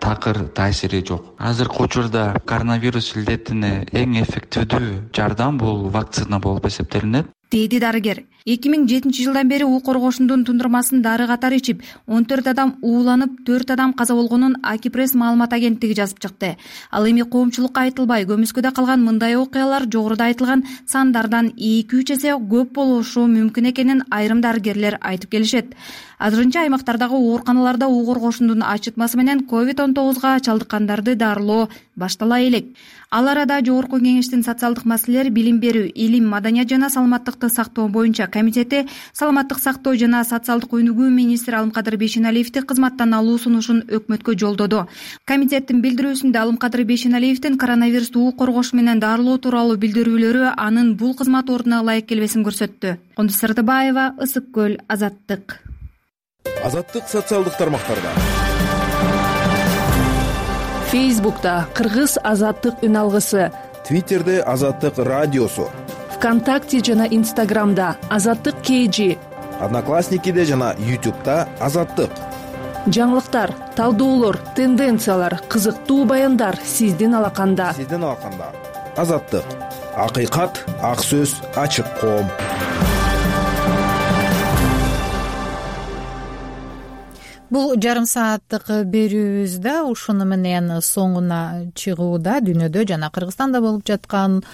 такыр таасири жок. Азыркы учурда коронавирус илдетине эң эффективдүү жардам бул вакцина болуп эсептелинет, деди дарыгер. 2007 жылдан бери уу коргошундун тундурмасын дары катары ичип, 14 адам ууланып, 4 адам каза болгонун Акипресс маалымат агенттиги жазып чыкты. Ал эми коомчулукка айтылбай көмүскөдө калган мындай окуялар жогоруда айтылган сандардан 2-3 эсе көп болушу мүмкүн экенин айрым дарыгерлер айтып келишет. Азырынча аймактардагы ооруканаларда уу коргошундун ачытмасы менен COVID-19га чалдыккандарды дарылоо баштала элек. Ал арада Жогорку Кеңештин социалдык маселелер, билим берүү, илим, маданият жана саламаттыкты сактоо боюнча комитети саламаттык сактоо жана социалдык өнүгүү министри Алымкадыр Бейшеналиевди кызматтан алуу сунушун өкмөткө жолдоду. Комитеттин билдирүүсүндө Алымкадыр Бейшеналиевдин коронавирусту уу коргош менен дарылоо тууралуу билдирүүлөрү анын бул кызмат ордуна ылайык келбесин көрсөттү. Кондуз Сырдыбаева, Ысык көл, Азаттык. Азаттык социалдык тармактарда. Фейсбукта Кыргыз Азаттык үн алгысы, Твиттерде Азаттык радиосу, ВКонтакте жана Инстаграмда Азаттык KG, Одноклассникиде жана YouTube'да Азаттык. жаңылыктар, талдоолор, тенденциялар, кызыктуу баяндар сиздин алаканда. Азаттык, акыйкат, ак сөз, ачык коом. Бул жарым сааттык берүүбүздө ушуну менен соңуна чыгууда дүйнөдө жана Кыргызстанда болуп жаткан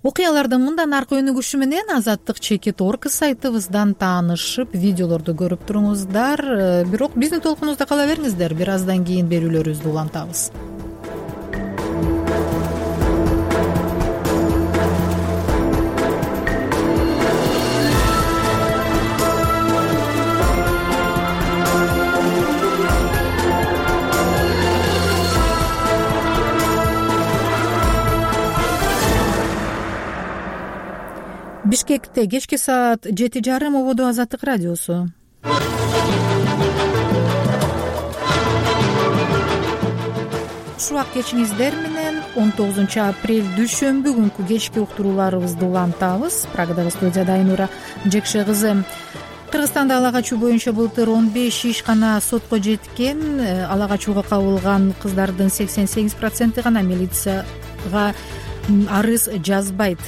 окуялардын мындан аркы өнүгүшү менен Азаттык.org сайтыбыздан таанышып, видеолорду көрүп туруңуздар. Бирок биздин толкунубузда кала бериңиздер. Бир аздан кийин берүүлөрүбүздү улантабыз. Бишкекте кечки саат 7:30 ободо Азаттык радиосу. Ушул кечиңиздер менен 19 апрель дүйшөмбү күнкү кечки уктурууларыбызды улантабыз. Прагадагы студияда Айнура Жекше кызы. Кыргызстанда ала качуу боюнча былтыр 15 ишкана сотко жеткен. Ала качууга кабылган кыздардын 88% гана милицияга арыз жазбайт.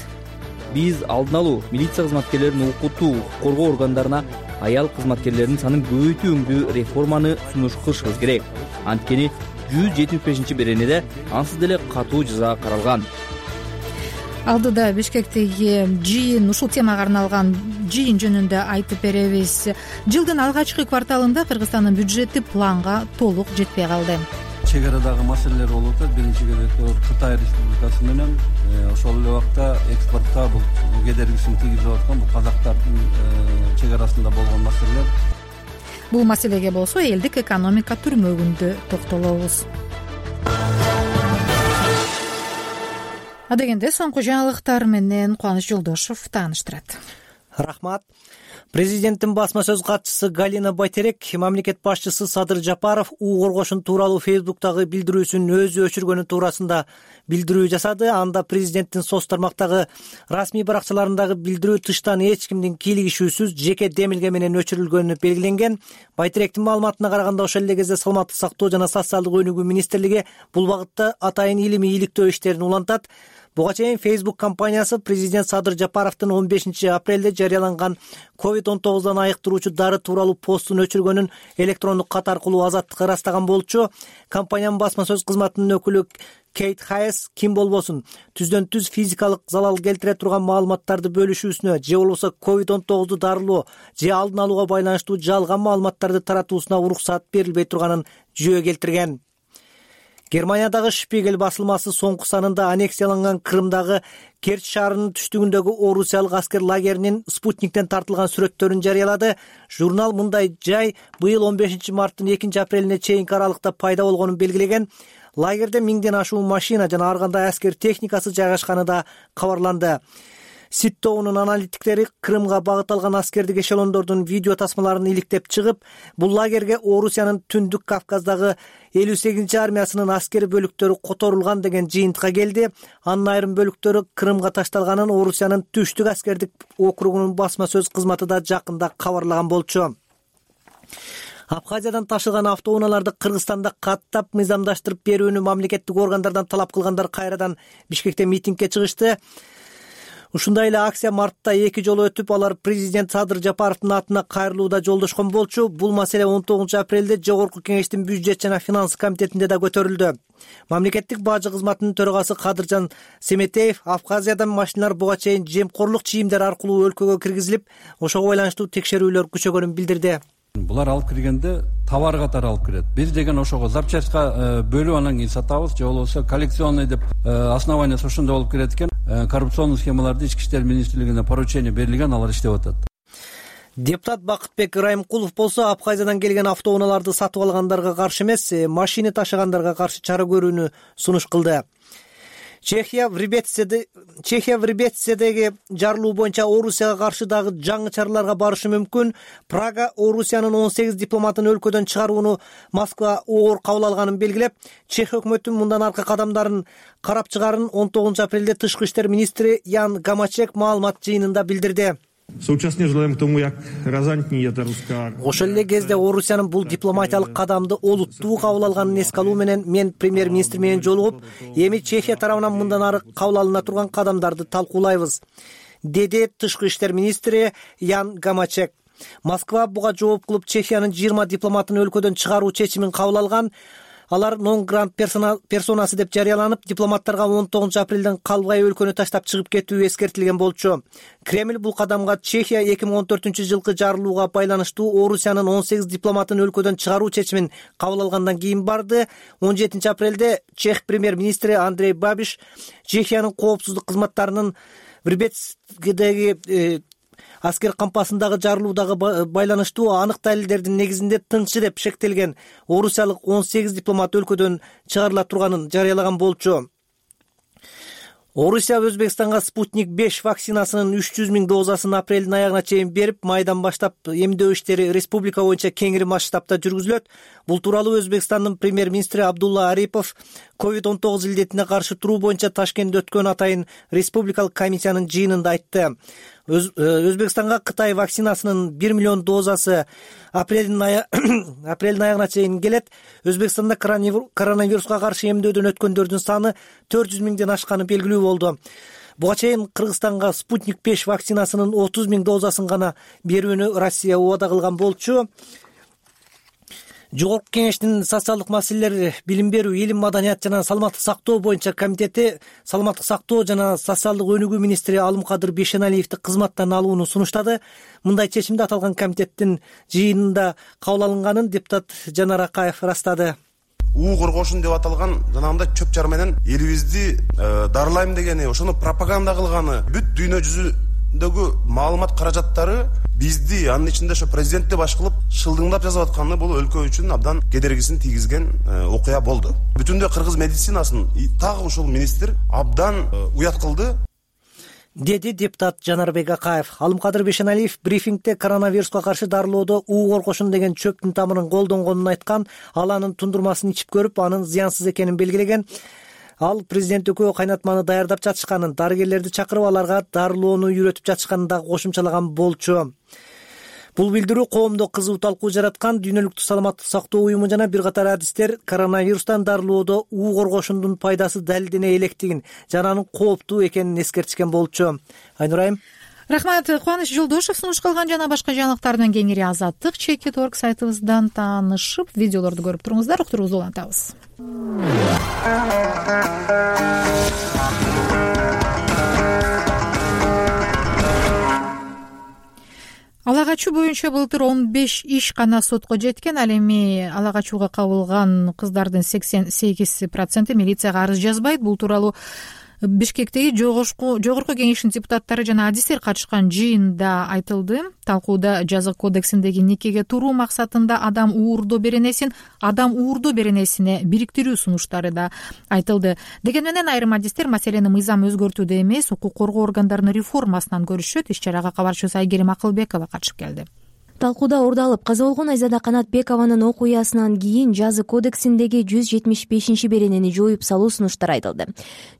Биз алдын алуу, милиция кызматкерлерин окутуу, коргоо органдарына аял кызматкерлердин санын көбөйтүүгө реформаны сунуш кылышыбыз керек. Анткени 175-беренеде ансыз деле катуу жаза каралган. Алдыда Бишкектеги жыйын, ушул темага арналган жыйын жөнүндө айтып беребиз. Жылдын алгачкы кварталында Кыргызстандын бюджети планга толук жетпей калды. Чек арадагы маселелер болуп атат. Биринчи кезекте Кытай Республикасы менен ошол эле убакта экспортко бул кедергисин тийгизип аткан бул казактардын чек арасында болгон маселелер. Бул маселеге болсо элдик экономика түрмөгүндө токтолобуз. Адегенде соңку жаңылыктар менен Кубаныч Жолдошов тааныштырат. Рахмат. Президенттин басма сөз катчысы Галина Байтерек мамлекет башчысы Садыр Жапаров уу коргошун тууралуу Фейсбуктагы билдирүүсүн өзү өчүргөнү туурасында билдирүү жасады. Анда президенттин соц тармактагы расмий баракчаларындагы билдирүү тыштан эч кимдин кийлигишүүсүз жеке демилге менен өчүрүлгөнү белгиленген. Байтеректин маалыматына караганда ошол эле кезде саламаттык сактоо жана социалдык өнүгүү министрлиги бул багытта атайын илимий иликтөө иштерин улантат. Буга чейин Facebook компаниясы президент Садыр Жапаровдун 15 апрелде жарыяланган COVID-19 айыктыруучу дары тууралуу постун өчүргөнүн электрондук кат аркылуу Азаттыкка ырастаган болчу. Компаниянын басма сөз кызматынын өкүлү Кейт Хайес ким болбосун түздөн түз физикалык залал келтире турган маалыматтарды бөлүшүүсүнө же болбосо COVID-19 дарылоо же алдын алууга байланыштуу жалган маалыматтарды таратуусуна уруксат берилбей турганын жөө келтирген. Германиядагы Шпигель басылмасы соңку санында аннексияланган Крымдагы Керчь шаарынын түштүгүндөгү орусиялык аскер лагеринин спутниктен тартылган сүрөттөрүн жарыялады. Журнал мындай жай быйыл 15 марттын 2 апрелине чейинки аралыкта пайда болгонун белгилеген. Лагерде 1000ден ашуун машина жана ар кандай аскер техникасы жайгашканы да кабарланды. Ситтобунун аналитиктери Крымга багыт алган аскердик эшелондордун видео тасмаларын иликтеп чыгып, бул лагерге Орусиянын Түндүк Кавказдагы 58 армиясынын аскери бөлүктөрү которулган деген жыйынтыкка келди. Анын айрым бөлүктөрү Крымга ташталганын Орусиянын Түштүк аскердик округунун басма сөз кызматы да жакында кабарлаган болчу. Абхазиядан ташылган автоунааларды Кыргызстанда каттап мыйзамдаштырып берүүнү мамлекеттик органдардан талап кылгандар кайрадан Бишкекте митингге чыгышты. Ушундай эле акция мартта 2 жолу өтүп, алар президент Садыр Жапаровдун атына кайрылууда жолдошкон болчу. Бул маселе 19 апрелде Жогорку Кеңештин бюджет жана финанс комитетинде да көтөрүлдү. Мамлекеттик бажы кызматынын төрагасы Кадыржан Семетеев Абхазиядан машиналар буга чейин жемкорлук чийимдер аркылуу өлкөгө киргизилип, ошого байланыштуу текшерүүлөр күчөгөнүн билдирди. Булар алып киргенде товар катары алып кирет. Биз деген ошого запчастька бөлүп анан кийин сатабыз, же болбосо коллекционный деп основаниясы ошондой болуп кирет экен. Коррупционный схемаларды Ички иштер министрлигине поручение берилген, алар иштеп атат. Депутат Бакытбек Райымкулов болсо Абхазиядан келген автоунааларды сатып алгандарга каршы эмес, машина ташыгандарга каршы чара көрүүнү сунуш кылды. Чехия в Рибецедеги жарылуу боюнча Орусияга каршы дагы жаңы чараларга барышы мүмкүн. Прага Орусиянын 18 дипломатын өлкөдөн чыгарууну Москва оор кабыл алганын белгилеп, Чех өкмөтүнүн мындан аркы кадамдарын карап чыгарын 19 апрелде тышкы иштер министри Ян Гамачек маалымат жыйынында билдирди. Соучасне желаем к тому, как разантнее это русская. Ошол эле кезде Орусиянын бул дипломатиялык кадамды олуттуу кабыл алганын эске алуу менен мен премьер-министр менен жолугуп, эми Чехия тарабынан мындан ары кабыл алына турган кадамдарды талкуулайбыз, деди тышкы иштер министри Ян Гамачек. Москва буга жооп кылып Чехиянын 20 дипломатын өлкөдөн чыгаруу чечимин кабыл алган. Алар нон грант персонасы деп жарыяланып, дипломаттарга 19 апрелден калбай өлкөнү таштап чыгып кетүү эскертилген болчу. Кремль бул кадамга Чехия 2014-жылкы жарылууга байланыштуу Орусиянын 18 дипломатын өлкөдөн чыгаруу чечимин кабыл алгандан кийин барды. 17 апрелде чех премьер-министри Андрей Бабиш Чехиянын коопсуздук кызматтарынын Врбецкидеги аскер кампасындагы жарылуудагы байланыштуу анык далилдердин негизинде тынчы деп шектелген орусиялык 18 дипломат өлкөдөн чыгарыла турганын жарыялаган болчу. Орусия Өзбекстанга Спутник 5 вакцинасынын 300 000 дозасын апрелдин аягына чейин берип, майдан баштап эмдөө иштери республика боюнча кеңири масштабта жүргүзүлөт. Бул тууралуу Өзбекстандын премьер-министри Абдулла Арипов COVID-19 илдетине каршы туруу боюнча Ташкентте өткөн атайын республикалык комиссиянын жыйынында айтты. Өзбекстанга Кытай вакцинасынын 1 миллион дозасы апрелдин аягына чейин келет. Өзбекстанда коронавируска каршы эмдөөдөн өткөндөрдүн саны 400 000ден ашканы белгилүү болду. Буга чейин Кыргызстанга Спутник 5 вакцинасынын 30 000 дозасын гана берүүнү Россия убада кылган болчу. Жогорку кеңештин социалдык маселелер, билим берүү, илим, маданият жана саламаттык сактоо боюнча комитети саламаттык сактоо жана социалдык өнүгүү министри Алымкадыр Бейшеналиевди кызматтан алууну сунуштады. Мындай чечимди аталган комитеттин жыйынында кабыл алынганын депутат Жанар Акаев ырастады. уу коргошун деп аталган жанагындай чөп жар менен элибизди дарылайм дегени, ошону пропаганда кылганы, бүт дүйнө жүзүндөгү маалымат каражаттары бизди, анын ичинде ошо президентти баш кылып шылдыңдап жазып атканы бул өлкө үчүн абдан кедергисин тийгизген окуя болду. Бүтүндөй кыргыз медицинасын так ушул министр абдан уят кылды, деди депутат Жанарбек Акаев. Алымкадыр Бейшеналиев брифингде коронавируска каршы дарылоодо уу коргошун деген чөптүн тамырын колдонгонун айткан, ал анын тундурмасын ичип көрүп, анын зыянсыз экенин белгилеген. Ал президент экөө кайнатманы даярдап жатышканын, дарыгерлерди чакырып аларга дарылоону үйрөтүп жатышканын да кошумчалаган болчу. Бул билдирүү коомдо кызуу талкуу жараткан. Дүйнөлүк саламаттык сактоо уюму жана бир катар адистер коронавирустан дарылоодо уу коргошундун пайдасы далилдене электигин жана анын кооптуу экенин эскертишкен болчу. Айнурайым. Рахмат. Кубаныч Жолдошев сунуш кылган жана башка жаңылыктардан кеңири Азаттык Чекит.org сайтыбыздан таанышып, видеолорду көрүп туруңуздар. Уктуруубузду улантабыз. Ала качуу боюнча былтыр 15 иш гана сотко жеткен. Ал эми ала качууга кабылган кыздардын 88% милицияга арыз жазбайт. Бул тууралуу Бишкектеги жогорку кеңештин депутаттары жана адистер катышкан жыйында айтылды. Талкууда жаза кодексиндеги никеге туруу максатында адам уурдоо беренесин бириктирүү сунуштары да айтылды. Деген менен айрым адистер маселени мыйзам өзгөртүүдө эмес, укук коргоо органдарынын реформасынан көрүшөт. Иш чарага кабарчыбыз Айгерим Акылбекова катышып келди. Талкууда ордалып каза болгон Айзада Канатбекованын окуясынан кийин жаза кодексиндеги 175 беренени жоюп салуу сунуштары айтылды.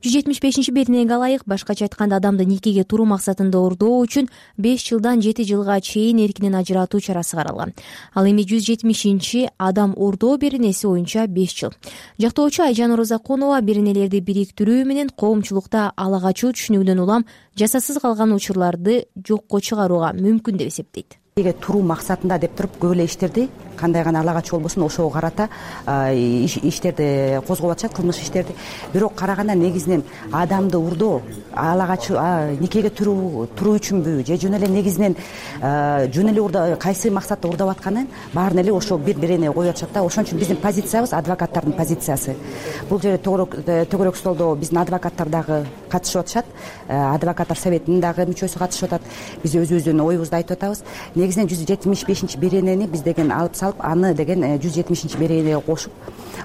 175 беренеге ылайык, башкача айтканда, адамды никеге туруу максатында уурдоо үчүн 5 жылдан 7 жылга чейин эркинен ажыратуу чарасы каралган. Ал эми 170 адам уурдоо беренеси боюнча 5 жыл. Жактоочу Айжан Оразакунова беренелерди бириктирүү менен коомчулукта ала качуу түшүнүгүнөн улам жасасыз калган учурларды жокко чыгарууга мүмкүн деп эсептейт. Туруу максатында деп туруп көп эле иштерди, кандай гана ала качуу болбосун ошого карата иштерди козгоп атышат, кылмыш иштерди. Бирок караганда негизинен адамды уурдоо, ала качуу, никеге туруу үчүнбү же жөн эле негизинен жөн эле кайсы максатта уурдап атканын баарын эле ошо бир берене коюп атышат да. Ошон үчүн биздин позициябыз, адвокаттардын позициясы. Бул жерде төгөрөк столдо биздин адвокаттар дагы катышып атышат, адвокаттар советинин дагы мүчөсү катышып атат. Биз өзүбүздүн оюбузду айтып атабыз. Негизинен 175 беренени биз деген алып салып аны деген 170 беренеге кошуп,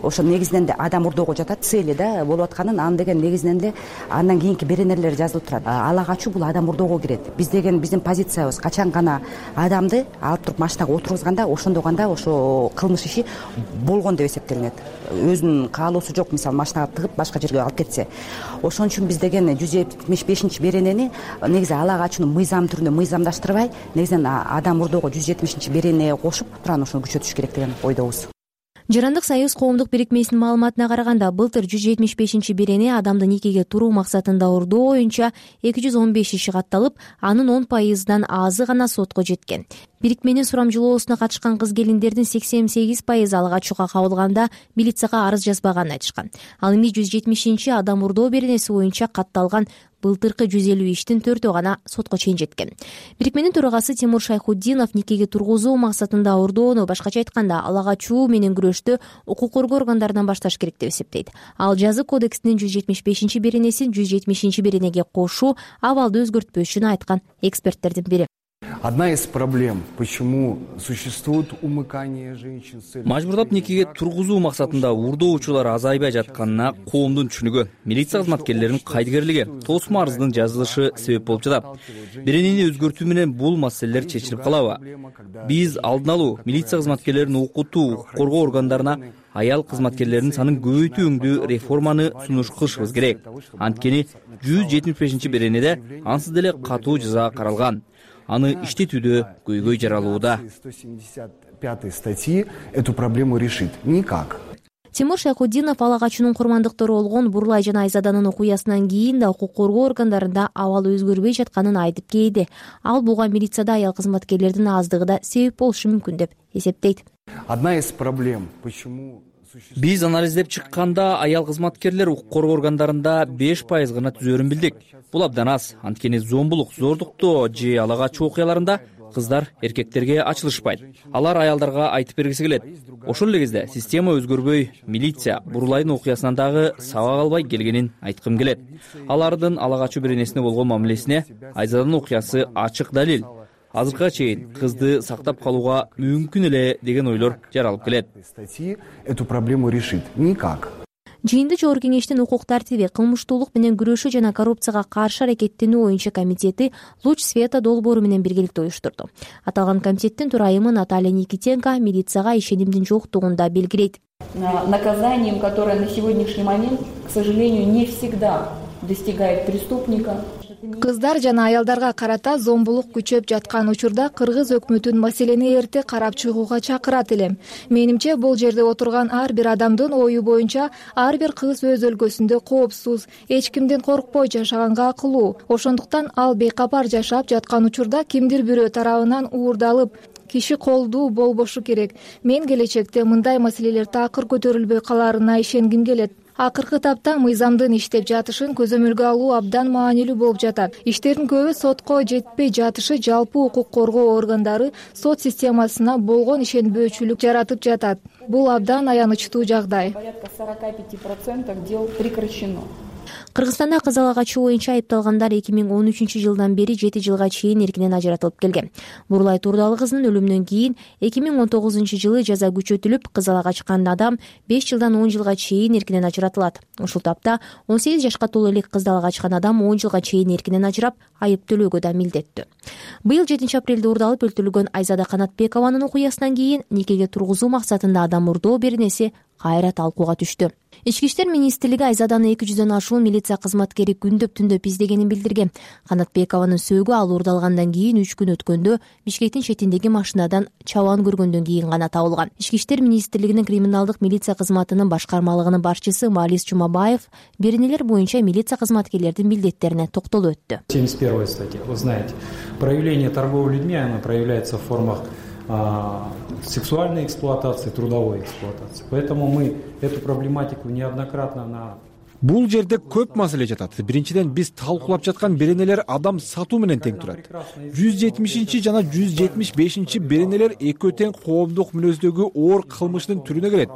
ошо негизинен да адам урдоого жатат цели да болуп атканын, аны деген негизинен эле андан кийинки беренелер жазылып турат. Ала качуу бул адам урдоого кирет. Биз деген биздин позициябыз качан гана адамды алып туруп машинага отургузганда, ошондо гана ошо кылмыш иши болгон деп эсептелинет. Өзүнүн каалоосу жок, мисалы машинага тыгып башка жерге алып кетсе. Ошон үчүн биз деген 175 беренени негизи ала качууну мыйзам түрүндө мыйзамдаштырбай, негизинен адам урдоого 170 беренеге кошуп туран ошону күчөтүш керек деген ойдобуз. Жарандык союз коомдук бирикмесинин маалыматына караганда, былтыр 175 берене адамды никеге туруу максатында урдоо боюнча 215 иши катталып, анын 10%дан азы гана сотко жеткен. Бирикменин сурамжылоосуна катышкан кыз-келиндердин 88% ала качууга кабылганда милицияга арыз жазбаганын айтышкан. Ал эми 170 адам урдоо беренеси боюнча катталган былтыркы 150 иштин 4-өө гана сотко чейин жеткен. Бирикменин төрагасы Тимур Шайхуддинов никеге тургузуу максатында урдоону, башкача айтканда, ала качуу менен күрөштү укук коргоо органдарынан башташ керек деп эсептейт. Ал жазык кодексинин 175 беренесин 170 беренеге кошуу абалды өзгөртпөшүн айткан эксперттердин бири. Одна из проблем, почему существует умыкание женщин с целью... Мажбурлап никеге тургузуу максатында урдоочулар азайбай жатканына коомдун түшүнүгү, милиция кызматкерлеринин кайдыгерлиги, тосмо арыздын жазылышы себеп болуп жатат. Беренени өзгөртүү менен бул маселелер чечилип калабы? Биз алдын алуу, милиция кызматкерлерин окутуу, коргоо органдарына аял кызматкерлердин санын көбөйтүүңдүү реформаны сунуш кылышыбыз керек. Анткени 175 беренеде ансыз деле катуу жаза каралган. Аны иштетүүдө көйгөй жаралууда. 175 статьи эту проблему решит никак. Тимур Шайхуддинов ала качуунун курмандыктары болгон Бурлай жана Айзаданын окуясынан кийин да укук коргоо органдарында абал өзгөрбөй жатканын айтып келди. Ал буга милицияда аял кызматкерлердин аздыгы да себеп болушу мүмкүн деп эсептейт. Одна из проблем, почему... Биз анализдеп чыкканда аял кызматкерлер укук коргоо органдарында 5% гана түзөрүн билдик. Бул абдан аз. Анткени зомбулук, зордуктоо же ала качуу окуяларында кыздар эркектерге ачылышпайт. Алар аялдарга айтып бергиси келет. Ошол эле кезде система өзгөрбөй, милиция Бурлайдын окуясынан дагы сабак албай келгенин айткым келет. Алардын ала качуу беренесине болгон мамилесине Айзаданын окуясы ачык далил. Азыркыга чейин кызды сактап калууга мүмкүн эле деген ойлор жаралып келет. Эту проблему решит никак. Жыйынды Жогорку кеңештин укук тартиби, кылмыштуулук менен күрөшүү жана коррупцияга каршы аракеттенүү боюнча комитети Луч Света долбоору менен биргеликте уюштурду. Аталган комитеттин төрайымы Наталья Никитенко милицияга ишенимдин жоктугун да белгилейт. Наказанием, которое на сегодняшний момент, к сожалению, не всегда достигает преступника. Кыздар жана аялдарга карата зомбулук күчөп жаткан учурда кыргыз өкмөтүн маселени эрте карап чыгууга чакырат элем. Менимче бул жерде отурган ар бир адамдын ою боюнча ар бир кыз өз өлкөсүндө коопсуз, эч кимден коркпой жашаганга акылуу. Ошондуктан ал бейкапар жашап жаткан учурда кимдир бирөө тарабынан уурдалып, киши колдуу болбошу керек. Мен келечекте мындай маселелер такыр көтөрүлбөй каларына ишенгим келет. Акыркы тапта мыйзамдын иштеп жатышын көзөмөлгө алуу абдан маанилүү болуп жатат. Иштердин көбү сотко жетпей жатышы жалпы укук коргоо органдары сот системасына болгон ишенбөөчүлүк жаратып жатат. Бул абдан аянычтуу жагдай. Порядка 45% дел прекращено. Кыргызстанда кыз ала качуу боюнча айыпталгандар 2013-жылдан бери 7 жылга чейин эркинен ажыратылып келген. Бурлай Турдалы кызынын өлүмүнөн кийин 2019-жылы жаза күчөтүлүп, кыз ала качкан адам 5 жылдан 10 жылга чейин эркинен ажыратылат. Ушул тапта 18 жашка толо элек кызды ала качкан адам 10 жылга чейин эркинен ажырап, айып төлөөгө да милдеттүү. Быйыл 7-апрелде уурдалып өлтүрүлгөн Айзада Канатбекованын окуясынан кийин никеге тургузуу максатында адам урдоо беренеси кайра талкууга түштү. Ички иштер министрлиги Айзаданы 200дөн ашуун милиция кызматкери күндөп-түндөп издегенин билдирген. Канатбекованын сөөгү ал уурдалгандан кийин 3 күн өткөндө Бишкектин четиндеги машинадан чабан көргөндөн кийин гана табылган. Ички иштер министрлигинин криминалдык милиция кызматынын башкармалыгынын башчысы Малис Жумабаев беренелер боюнча милиция кызматкерлердин милдеттерине токтолуп өттү. 71 статья. Вы знаете, проявление торговли людьми, оно проявляется в формах сексуальной эксплуатации, трудовой эксплуатации. Поэтому мы эту проблематику неоднократно на... Бул жерде көп маселе жатат. Биринчиден биз талкуулап жаткан беренелер адам сатуу менен тең турат. 170 жана 175 беренелер экөө тең коомдук мүнөздөгү оор кылмыштын түрүнө келет.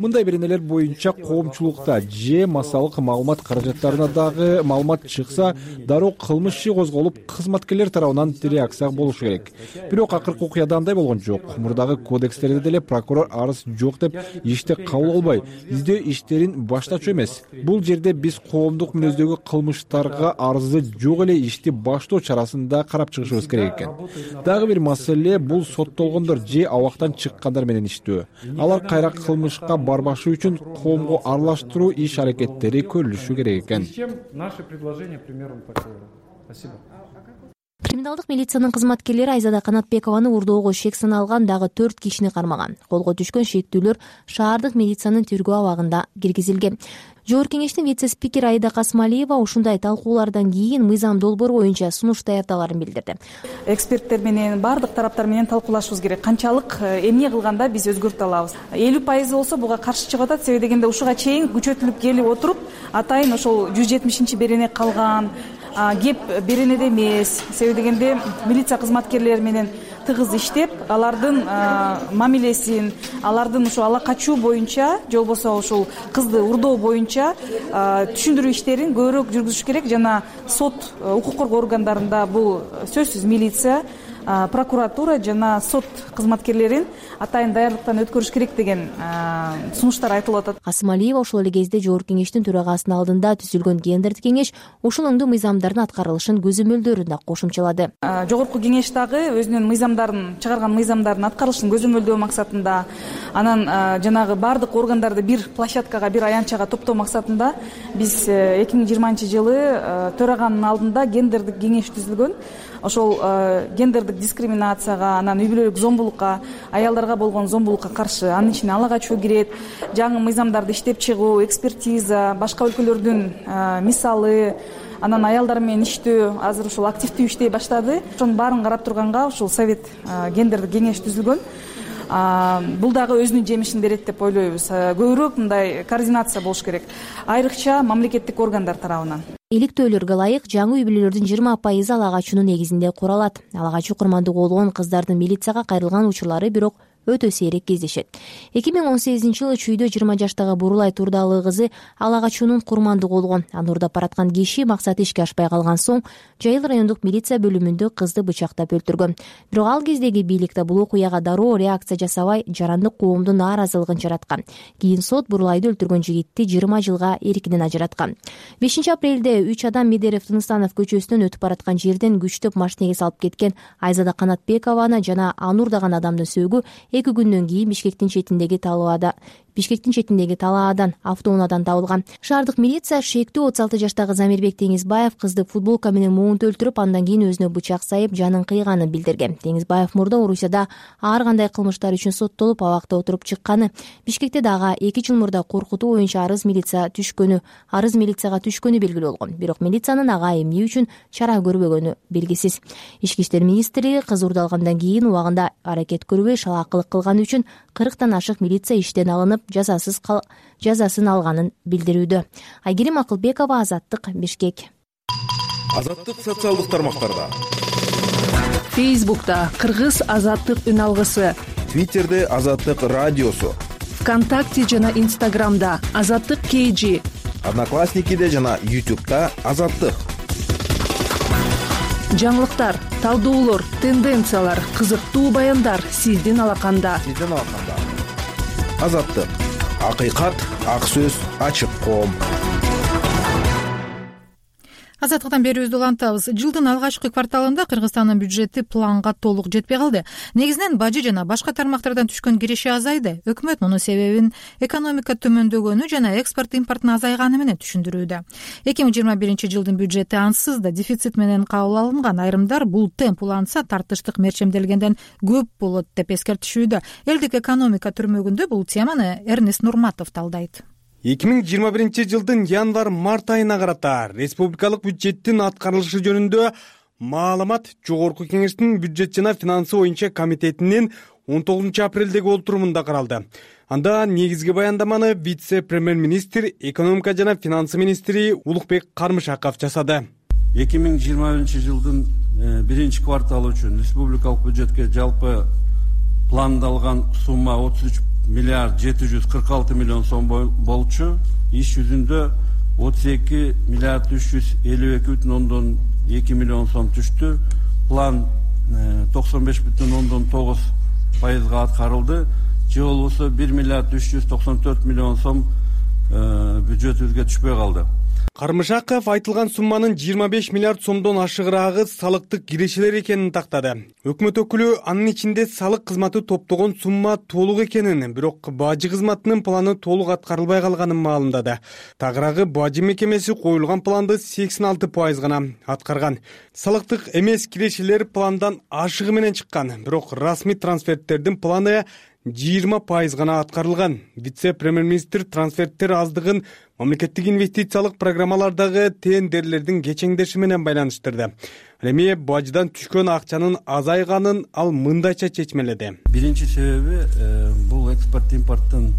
мындай беренелер боюнча коомчулукта же массалык маалымат каражаттарына дагы маалымат чыкса, дароо кылмыш иши козголуп, кызматкерлер тарабынан реакция болушу керек. Бирок акыркы окуяда андай болгон жок. Мурдагы кодекстерде деле прокурор арыз жок деп ишти кабыл албай, издөө иштерин баштачу эмес. Бул жерде биз коомдук мүнөздөгү кылмыштарга арызы жок эле ишти баштоо чарасында карап чыгышыбыз керек экен. Дагы бир маселе бул соттолгондор же абактан чыккандар менен иштөө. Алар кайра кылмышка барбашы үчүн коомго аралаштыруу иш аракеттери көрүлүшү керек экен. Наши предложения примером прокурора. Спасибо. Криминалдык милициянын кызматкерлери Айзада Канатбекованы урдоого шек саналган дагы 4 кишини кармаган. Колго түшкөн шектүүлөр шаардык милициянын тергөө абагында киргизилген. Жогорку кеңештин вице-спикери Аида Касмалиева ушундай талкуулардан кийин мыйзам долбоор боюнча сунуш даярдаларын билдирди. Эксперттер менен баардык тараптар менен талкуулашыбыз керек. Канчалык эмне кылганда биз өзгөртө алабыз. 50% болсо буга каршы чыгып атат. Себеби дегенде ушуга чейин күчөтүлүп келип отуруп, атайын ошол 170-берене калган, кеп беренеде эмес. Себеби дегенде милиция кызматкерлери менен тыгыз иштеп, алардын мамилесин, алардын ошо ала качуу боюнча, же болбосо ушул кызды урдоо боюнча түшүндүрүү иштерин көбүрөөк жүргүзүш керек. Жана сот, укук коргоо органдарында бул сөзсүз милиция, прокуратура жана сот кызматкерлерин атайын даярдыктан өткөрүш керек деген сунуштар айтылып атат. Касымалиева ошол эле кезде жогорку кеңештин төрагасынын алдында түзүлгөн гендердик кеңеш ушул оңдуу мыйзамдардын аткарылышын көзөмөлдөрүн да кошумчалады. Жогорку кеңеш дагы өзүнүн мыйзамдарын чыгарган мыйзамдардын аткарылышын көзөмөлдөө максатында, анан жанагы баардык органдарды бир площадкага, бир аянтчага топтоо максатында биз 2020-жылы төраганын алдында гендердик кеңеш түзүлгөн. Ошол гендердик дискриминацияга, анан үй бүлөлүк зомбулукка, аялдарга болгон зомбулукка каршы анын ичине ала качуу кирет, жаңы мыйзамдарды иштеп чыгуу, экспертиза, башка өлкөлөрдүн мисалы, анан аялдар менен иштөө азыр ушул активдүү иштей баштады. Ошонун баарын карап турганга ушул совет гендердик кеңеш түзүлгөн. Бул дагы өзүнүн жемишин берет деп ойлойбуз. Көбүрөөк мындай координация болуш керек, айрыкча мамлекеттик органдар тарабынан. Иликтөөлөргө ылайык жаңы үй бүлөлөрдүн 20% ала качуунун негизинде куралат. Ала качуу курмандыгы болгон кыздардын милицияга кайрылган учурлары бирок өтө сейрек кездешет. 2018-жылы чүйдө 20 жаштагы Бурулай Турдалы кызы ала качуунун курмандыгы болгон. Аны урдап бараткан киши максаты ишке ашпай калган соң Жайыл райондук милиция бөлүмүндө кызды бычактап өлтүргөн. Бирок ал кездеги бийлик бул окуяга дароо реакция жасабай, жарандык коомдун нааразылыгын жараткан. Кийин сот Бурулайды өлтүргөн жигитти 20 жылга эркинен ажыраткан. 5-апрелде 3 адам Медерев Тыныстанов көчөсүнөн өтүп бараткан жерден күчтөп машинеге салып кеткен Айзада Канатбекованы жана аны урдаган адамдын сөөгү 2 күндөн кийин Бишкектин четиндеги талаадан автоунаадан табылган. Шаардык милиция шектүү 36 жаштагы Замирбек Теңизбаев кызды футболка менен муунтуп өлтүрүп, андан кийин өзүнө бычак сайып жанын кыйганын билдирген. Теңизбаев мурда Орусияда ар кандай кылмыштар үчүн соттолуп, абакта отуруп чыкканы. Бишкекте дагы 2 жыл мурда коркутуу боюнча арыз милицияга түшкөнү белгилүү болгон. Бирок милициянын ага эмне үчүн чара көрбөгөнү белгисиз. Ички иштер министри кыз урдалгандан кийин убагында аракет көрбөй шалаакылык кылганы үчүн 40тан ашык милиция иштен алынып, жазасын алганын билдирүүдө. Айгерим Акылбекова, Азаттык, Бишкек. Азаттык социалдык тармактарда. Фейсбукта Кыргыз Азаттык үн алгысы. Твиттерде Азаттык радиосу. ВКонтакте жана Инстаграмда Азаттык KG. Одноклассникиде жана YouTube'да Азаттык. Жаңылыктар, талдоолор, тенденциялар, кызыктуу баяндар сиздин алаканда. Азаттык. Акыйкат, ак сөз, ачык коом. Азаттыктан берүүбүздү улантабыз. Жылдын алгачкы кварталында Кыргызстандын бюджети планга толук жетпей калды. Негизинен бажы жана башка тармактардан түшкөн киреше азайды. Өкмөт мунун себебин экономика төмөндөгөнү жана экспорт импорттун азайганы менен түшүндүрүүдө. 2021-жылдын бюджети ансыз да дефицит менен кабыл алынган. Айрымдар бул темп уланса тартыштык мерчемделгенден көп болот деп эскертишүүдө. Элдик экономика түрмөгүндө бул теманы Эрнест Нурматов талдайт. 2021-жылдын январь-март айына карата республикалык бюджеттин аткарылышы жөнүндө маалымат Жогорку кеңештин бюджет жана финансы боюнча комитетинин 19 апрелдеги отурумунда каралды. Анда негизги баяндаманы вице-премьер-министр, экономика жана финансы министри Улукбек Кармышаков жасады. 2021-жылдын 1-кварталы үчүн республикалык бюджетке жалпы пландалган сумма миллиард 746 миллион сом болчу. Иш жүзүндө 32 миллиард 352,2 миллион сом түштү. План 95,9% аткарылды. Же болбосо 1 миллиард 394 миллион сом бюджетибизге түшпөй калды. Кармышаков айтылган сумманын 25 миллиард сомдон ашыгыраагы салыктык кирешелер экенин тактады. Өкмөт өкүлү анын ичинде салык кызматы топтогон сумма толук экенин, бирок бажы кызматынын планы толук аткарылбай калганын маалымдады. Тагыраагы бажы мекемеси коюлган планды 86% гана аткарган. Салыктык эмес кирешелер пландан ашыгы менен чыккан, бирок расмий трансферттердин планы 20% гана аткарылган. Вице-премьер-министр трансферттер аздыгын мамлекеттик инвестициялык программалардагы тендерлердин кечеңдеши менен байланыштырды. Эми бажыдан түшкөн акчанын азайганын ал мындайча чечмеледи. Биринчи себеби бул экспорт импорттун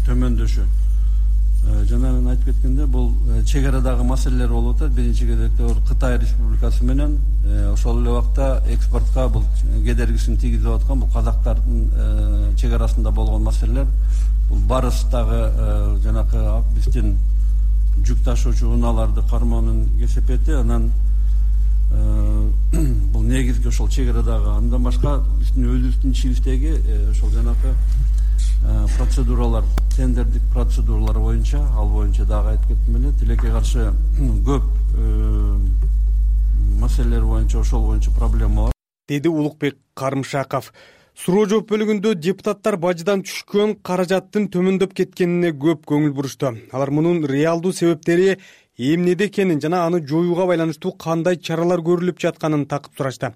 төмөндөшү. Жана мен айтып кеткенде, бул чек арадагы маселелер болуп атат. Биринчи кезекте Кытай Республикасы менен ошол эле убакта экспортко бул кедергисин тийгизип аткан бул казактардын чек арасында болгон маселелер. Бул барыстагы жанакы биздин жүк ташуучу унааларды кармоонун кесепети, анан бул негизги ошол чек арадагы. Андан башка биздин өзүбүздүн ичибиздеги ошол жанакы процедуралар, тендердик процедуралар боюнча, ал боюнча дагы айтып кеттим эле, тилекке каршы көп маселелер боюнча, ошол боюнча проблема бар, деди Улукбек Кармышаков. Суроо жооп бөлүгүндө депутаттар бажыдан түшкөн каражаттын төмөндөп кеткенине көп көңүл бурушту. Алар мунун реалдуу себептери эмнеде экенин жана аны жоюуга байланыштуу кандай чаралар көрүлүп жатканын такып сурашты.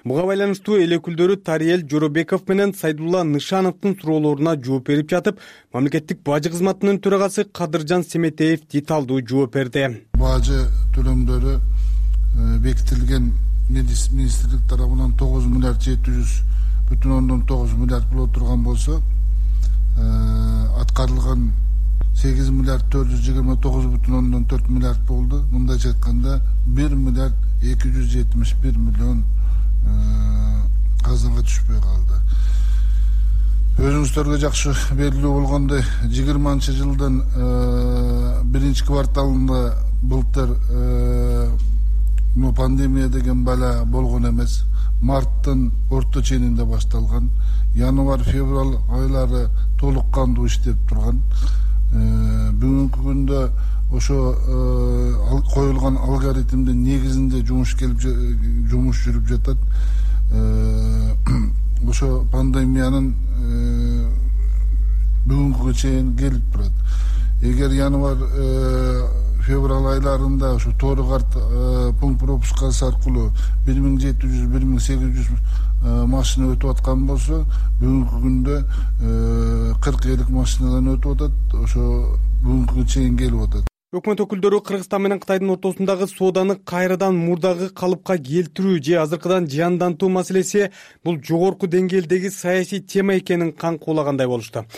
Буга байланыштуу эл өкүлдөрү Тариел Жоробеков менен Сайдулла Нышановдун суроолоруна жооп берип жатып, мамлекеттик бажы кызматынын төрагасы Кадыржан Семетеев деталдуу жооп берди. Бажы төлөмдөрү бекитилген министрлик тарабынан 9 миллиард 700,9 миллиард боло турган болсо, аткарылган 8 миллиард 429,4 миллиард болду. Мындайча айтканда 1 миллиард 271 миллион казынга түшпөй калды. Өзүңүздөргө жакшы белгилүү болгондой, 20-жылдын 1-кварталында былтыр пандемия деген бала болгон эмес. Марттын орто ченинде башталган. Январь-февраль айлары толук кандуу иштеп турган. Бүгүнкү күндө ошо коюлган алгоритмдин негизинде жумуш жүрүп жатат. Ошо пандемиянын бүгүнкүгө чейин келип турат. Эгер январь-февраль айларында ошо тоору карт пункт пропускасы аркылуу 1700-1800 машина өтүп аткан болсо, бүгүнкү күндө 40-50 машинадан өтүп атат. Ошо бүгүнкүгө чейин келип атат. Өкмөт өкүлдөрү Кыргызстан менен Кытайдын ортосундагы сооданы кайрадан мурдагы калыпка келтирүү же азыркыдан жандантуу маселеси бул жогорку деңгээлдеги саясий тема экенин каңкуулагандай болушту.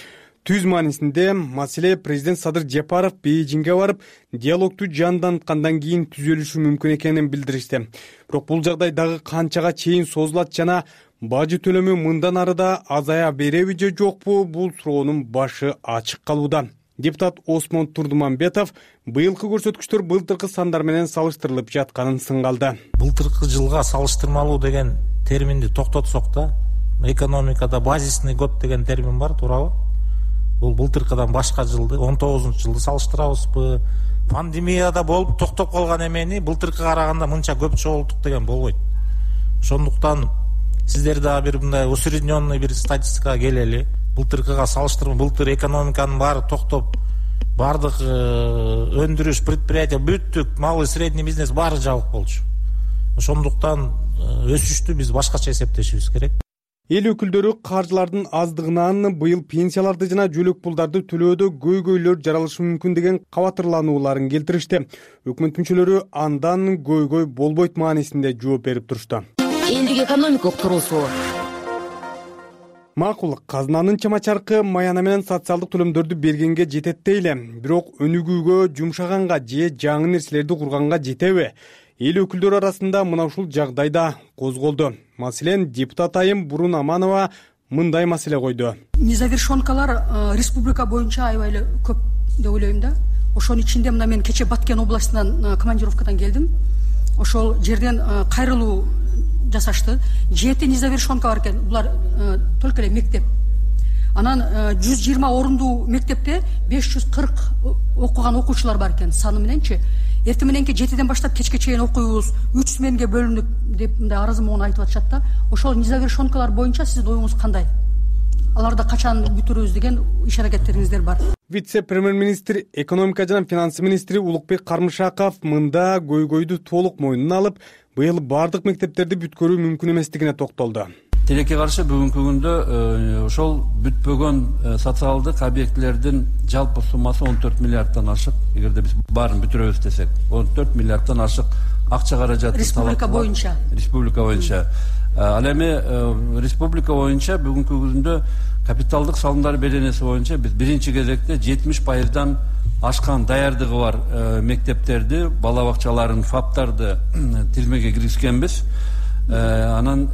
Түз маанисинде маселе президент Садыр Жапаров Бейжиңге барып, диалогту жанданткандан кийин түзөлүшү мүмкүн экенин билдиришти. Бирок бул жагдай дагы канчага чейин созулат жана бажы төлөмү мындан ары да азая береби же жокпу, бул суроонун башы ачык калууда. Депутат Осмон Турдуманбетов быйылкы көрсөткүчтөр былтыркы сандар менен салыштырылып жатканын сынгалды. Былтыркы жылга салыштырмалуу деген терминди токтотсок да, экономикада базисный год деген термин бар, туурабы? Бул былтыркыдан башка жылды, 19-жылды салыштырабызбы? Пандемияда болуп токтоп калган эмени былтыркыга караганда мынча көп чогулттук деген болбойт. Ошондуктан сиздер дагы бир мындай усредненный бир статистикага келели. Былтыркыга салыштырма, былтыр экономиканын баары токтоп, баардык өндүрүш, предприятие, бүттүк, малый средний бизнес баары жабык болчу. Ошондуктан өсүштү биз башкача эсептешибиз керек. Эл өкүлдөрү каржылардын аздыгынан быйыл пенсияларды жана жөлөк пулдарды төлөөдө көйгөйлөр жаралышы мүмкүн деген кабатырланууларын келтиришти. Өкмөт мүчөлөрү андан көйгөй болбойт маанисинде жооп берип турушту. Элдик экономика курулуусу макул, казынанын чама-чаркы маяна менен социалдык төлөмдөрдү бергенге жетет дейли. Бирок өнүгүүгө, жумшаганга же жаңы нерселерди курганга жетеби? Эл өкүлдөрү арасында мына ушул жагдай да козголду. Маселен, депутат айым Бурун Аманова мындай маселе койду. Незавершенкалар республика боюнча аябай эле көп деп ойлойм да. Ошонун ичинде мына мен кече Баткен областынан командировкадан келдим. Ошол жерден кайрылуу жасашты. 7 незавершенка бар экен. Булар только эле мектеп. Анан 120 орундуу мектепте 540 окуган окуучулар бар экен саны мененчи. Эртең мененки 7ден баштап кечке чейин окуйбуз, 3 сменге бөлүнүп деп мындай арызы менен айтып атышат да. Ошол незавершенкалар боюнча сиздин оюңуз кандай? Аларды качан бүтүрөбүз деген иш аракеттериңиздер бар? Вице-премьер-министр, экономика жана финансы министри Улукбек Кармышаков мында көйгөйдү толук мойнуна алып, быйыл бардык мектептерди бүткөрүү мүмкүн эместигине токтолду. Тилекке каршы бүгүнкү күндө ошол бүтпөгөн социалдык объектилердин жалпы суммасы 14 миллиарддан ашык. Эгерде биз баарын бүтүрөбүз десек, 14 миллиарддан ашык акча каражаты республика боюнча. Республика боюнча. Ал эми республика боюнча бүгүнкү күндө капиталдык салымдар беренеси боюнча биз биринчи кезекте 70%дан ашкан даярдыгы бар мектептерди, бала бакчаларын, фаптарды тизмеге киргизгенбиз. Анан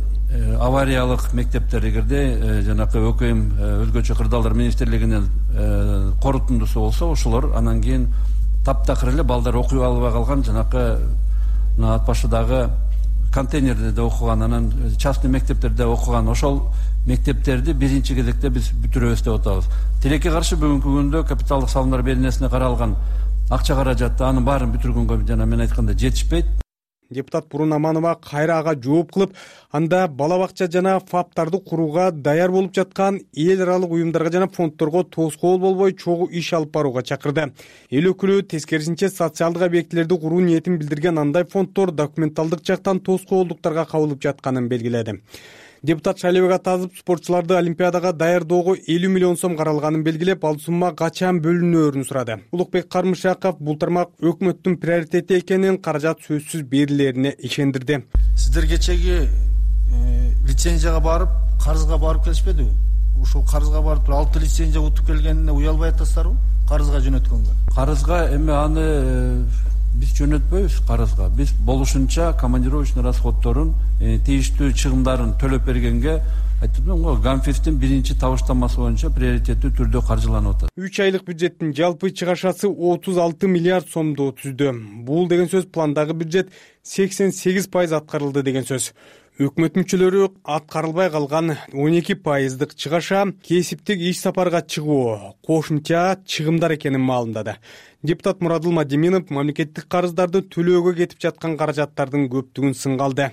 авариялык мектептер эгерде жанакы ӨКМ өзгөчө кырдаалдар министрлигинин корутундусу болсо, ошолор анан кийин таптакыр эле балдар окуй албай калган жанакы ат башыдагы контейнерде окуган, анан частный мектептерде окуган ошол мектептерди биринчи кезекте биз бүтүрөбүз деп атабыз. Тилекке каршы бүгүнкү күндө капиталдык салымдар беренесине каралган акча каражаты анын баарын бүтүргөнгө жана мен айткандай жетишпейт. Депутат Бурун Аманова кайра ага жооп кылып, анда бала бакча жана фаптарды курууга даяр болуп жаткан эл аралык уюмдарга жана фонддорго тоскоол болбой чогуу иш алып барууга чакырды. Эл өкүлү тескерисинче социалдык объектилерди куруу ниетин билдирген андай фонддор документалдык жактан тоскоолдуктарга кабылып жатканын белгиледи. Депутат Шайлебек Атазов спортчуларды олимпиадага даярдоого 50 миллион сом каралганын белгилеп, ал сумма качан бөлүнөөрүн сурады. Улукбек Кармышаков бул тармак өкмөттүн приоритети экенин, каражат сөзсүз берилерине ишендирди. Сиздер кечеги лицензияга барып, карызга барып келишпедиби? Ушул карызга барып туруп 6 лицензия утуп келгенине уялбай атасыздарбы? Карызга жөнөткөнгө. Карызга эми аны биз жөнөтпөйбүз карызга. Биз болушунча командировочный расходторун, тийиштүү чыгымдарын төлөп бергенге айтып го Гамфирдин биринчи табыштамасы боюнча приоритеттүү түрдө каржыланып атат. 3 айлык бюджеттин жалпы чыгашасы 36 миллиард сомду түздү. Бул деген сөз пландагы бюджет 88% аткарылды деген сөз. Өкмөт мүчөлөрү аткарылбай калган 12%дык чыгаша кесиптик иш сапарга чыгуу кошумча чыгымдар экенин маалымдады. Депутат Мурадыл Мадиминов мамлекеттик карыздарды төлөөгө кетип жаткан каражаттардын көптүгүн сынга алды.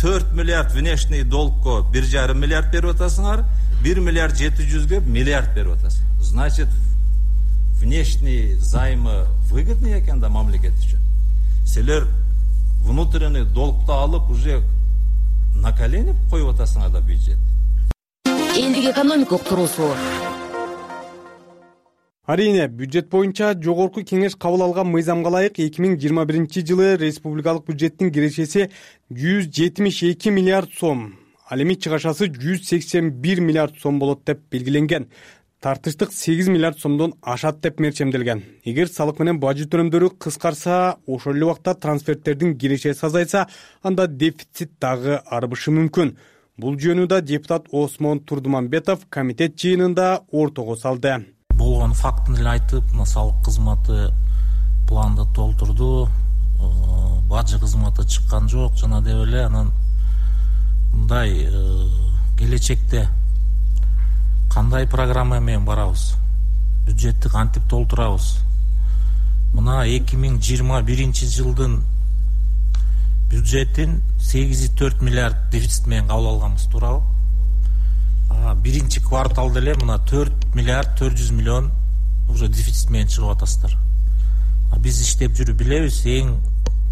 4 миллиард внешний долгко 1,5 миллиард берип атасыңар, 1 миллиард 700ге миллиард берип атасыңар. Значит, внешний займы выгодный экен да мамлекет үчүн. Силер внутренний долгду алып уже на колени коюп атасыңар да бюджет. Элдик экономикалык туруусу. Арийне, бюджет боюнча жогорку кеңеш кабыл алган мыйзамга ылайык 2021-жылы республикалык бюджеттин кирешеси 172 миллиард сом, ал эми чыгашасы 181 миллиард сом болот деп белгиленген. Тартыштык 8 миллиард сомдон ашат деп мерчемделген. Эгер салык менен бажы төлөмдөрү кыскарса, ошол эле убакта трансферттердин кирешеси азайса, анда дефицит дагы арбышы мүмкүн. Бул жөнүндө депутат Осмон Турдуманбетов комитет жыйынында ортого салды. Болгон фактын эле айтып, мына салык кызматы планды толтурду, бажы кызматы чыккан жок жана деп эле анан мындай келечекте кандай программа менен барабыз, бюджетти кантип толтурабыз. Мына 2021-жылдын бюджетин 8,4 миллиард дефицит менен кабыл алганбыз, туурабы? Биринчи кварталда эле мына 4 миллиард 400 миллион уже дефицит менен чыгып атасыздар. Биз иштеп жүрүп билебиз, эң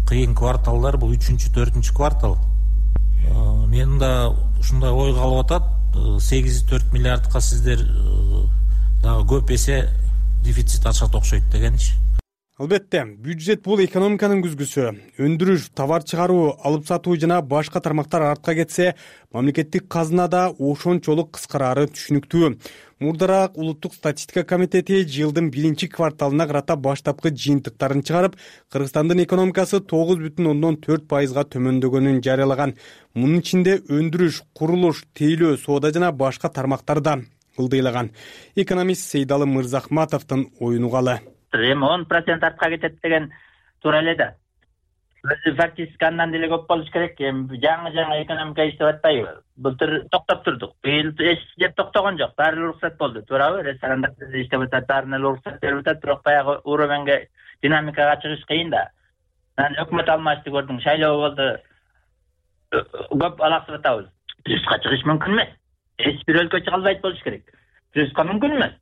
кыйын кварталдар бул 3-4 квартал. Мен да ушундай ой калып атат, 8,4 миллиардка сиздер дагы көп эсе дефицит ачат окшойт дегенчи. Албетте, бюджет бул экономиканын күзгүсү. Өндүрүш, товар чыгаруу, алып сатуу жана башка тармактар артка кетсе, мамлекеттик казынада ошончолук кыскарары түшүнүктүү. Мурдараак Улуттук статистика комитети жылдын 1-кварталына карата баштапкы жыйынтыктарын чыгарып, Кыргызстандын экономикасы 9,4%га төмөндөгөнүн жарыялаган. Мунун ичинде өндүрүш, курулуш, тейлөө, соода жана башка тармактар да ылдыйлаган. Экономист Сейдалы Мырзахматовдун оюн угалы. Эми 10% артка кетет деген туура эле да. Өзү фактически андан деле көп болуш керек. Эми жаңы экономика иштеп атпайбы? Былтыр токтоп турдук. Быйыл эч жеп токтогон жок. Баары уруксат болду, туурабы? Ресторандар иштеп атат, баарына уруксат берип атат, бирок баягы уровенге, динамикага чыгыш кыйын да. Анан өкмөт алмашты көрдүң, шайлоо болду. Көп алаксып атабыз. Плюска чыгыш мүмкүн эмес. Эч бир өлкө чыга албайт болуш керек. Плюска мүмкүн эмес.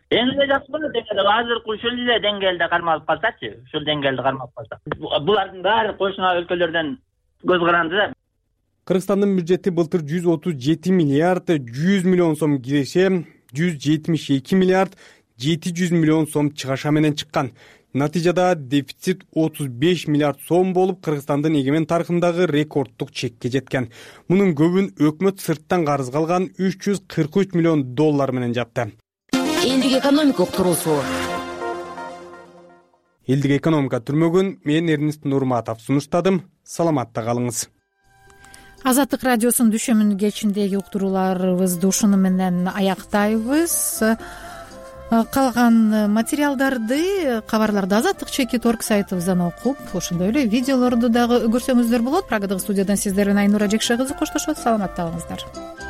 Эң эле жакшы болот эгер азыркы ушул эле деңгээлде кармалып калсачы, ушул деңгээлде кармалып калса. Булардын баары кошуна өлкөлөрдөн көз каранды да. Кыргызстандын бюджети былтыр 137 миллиард 100 миллион сом киреше, 172 миллиард 700 миллион сом чыгаша менен чыккан. Натыйжада дефицит 35 миллиард сом болуп, Кыргызстандын эгемен тарыхындагы рекорддук чекке жеткен. Мунун көбүн өкмөт сырттан карыз алган 343 миллион доллар менен жапты. Элдик экономика уктуруусу. Элдик экономика түрмөгүн мен Эрнест Нурматов сунуштадым. Саламатта калыңыз. Азаттык радиосунун дүшөмүн кечиндеги уктурууларыбызды ушуну менен аяктайбыз. Калган материалдарды, кабарларды Азаттык.org сайтыбыздан окуп, ошондой эле видеолорду дагы көрсөңүздөр болот. Прагадагы студиядан сиздер менен Айнура Жекше кызы коштошот. Саламатта калыңыздар.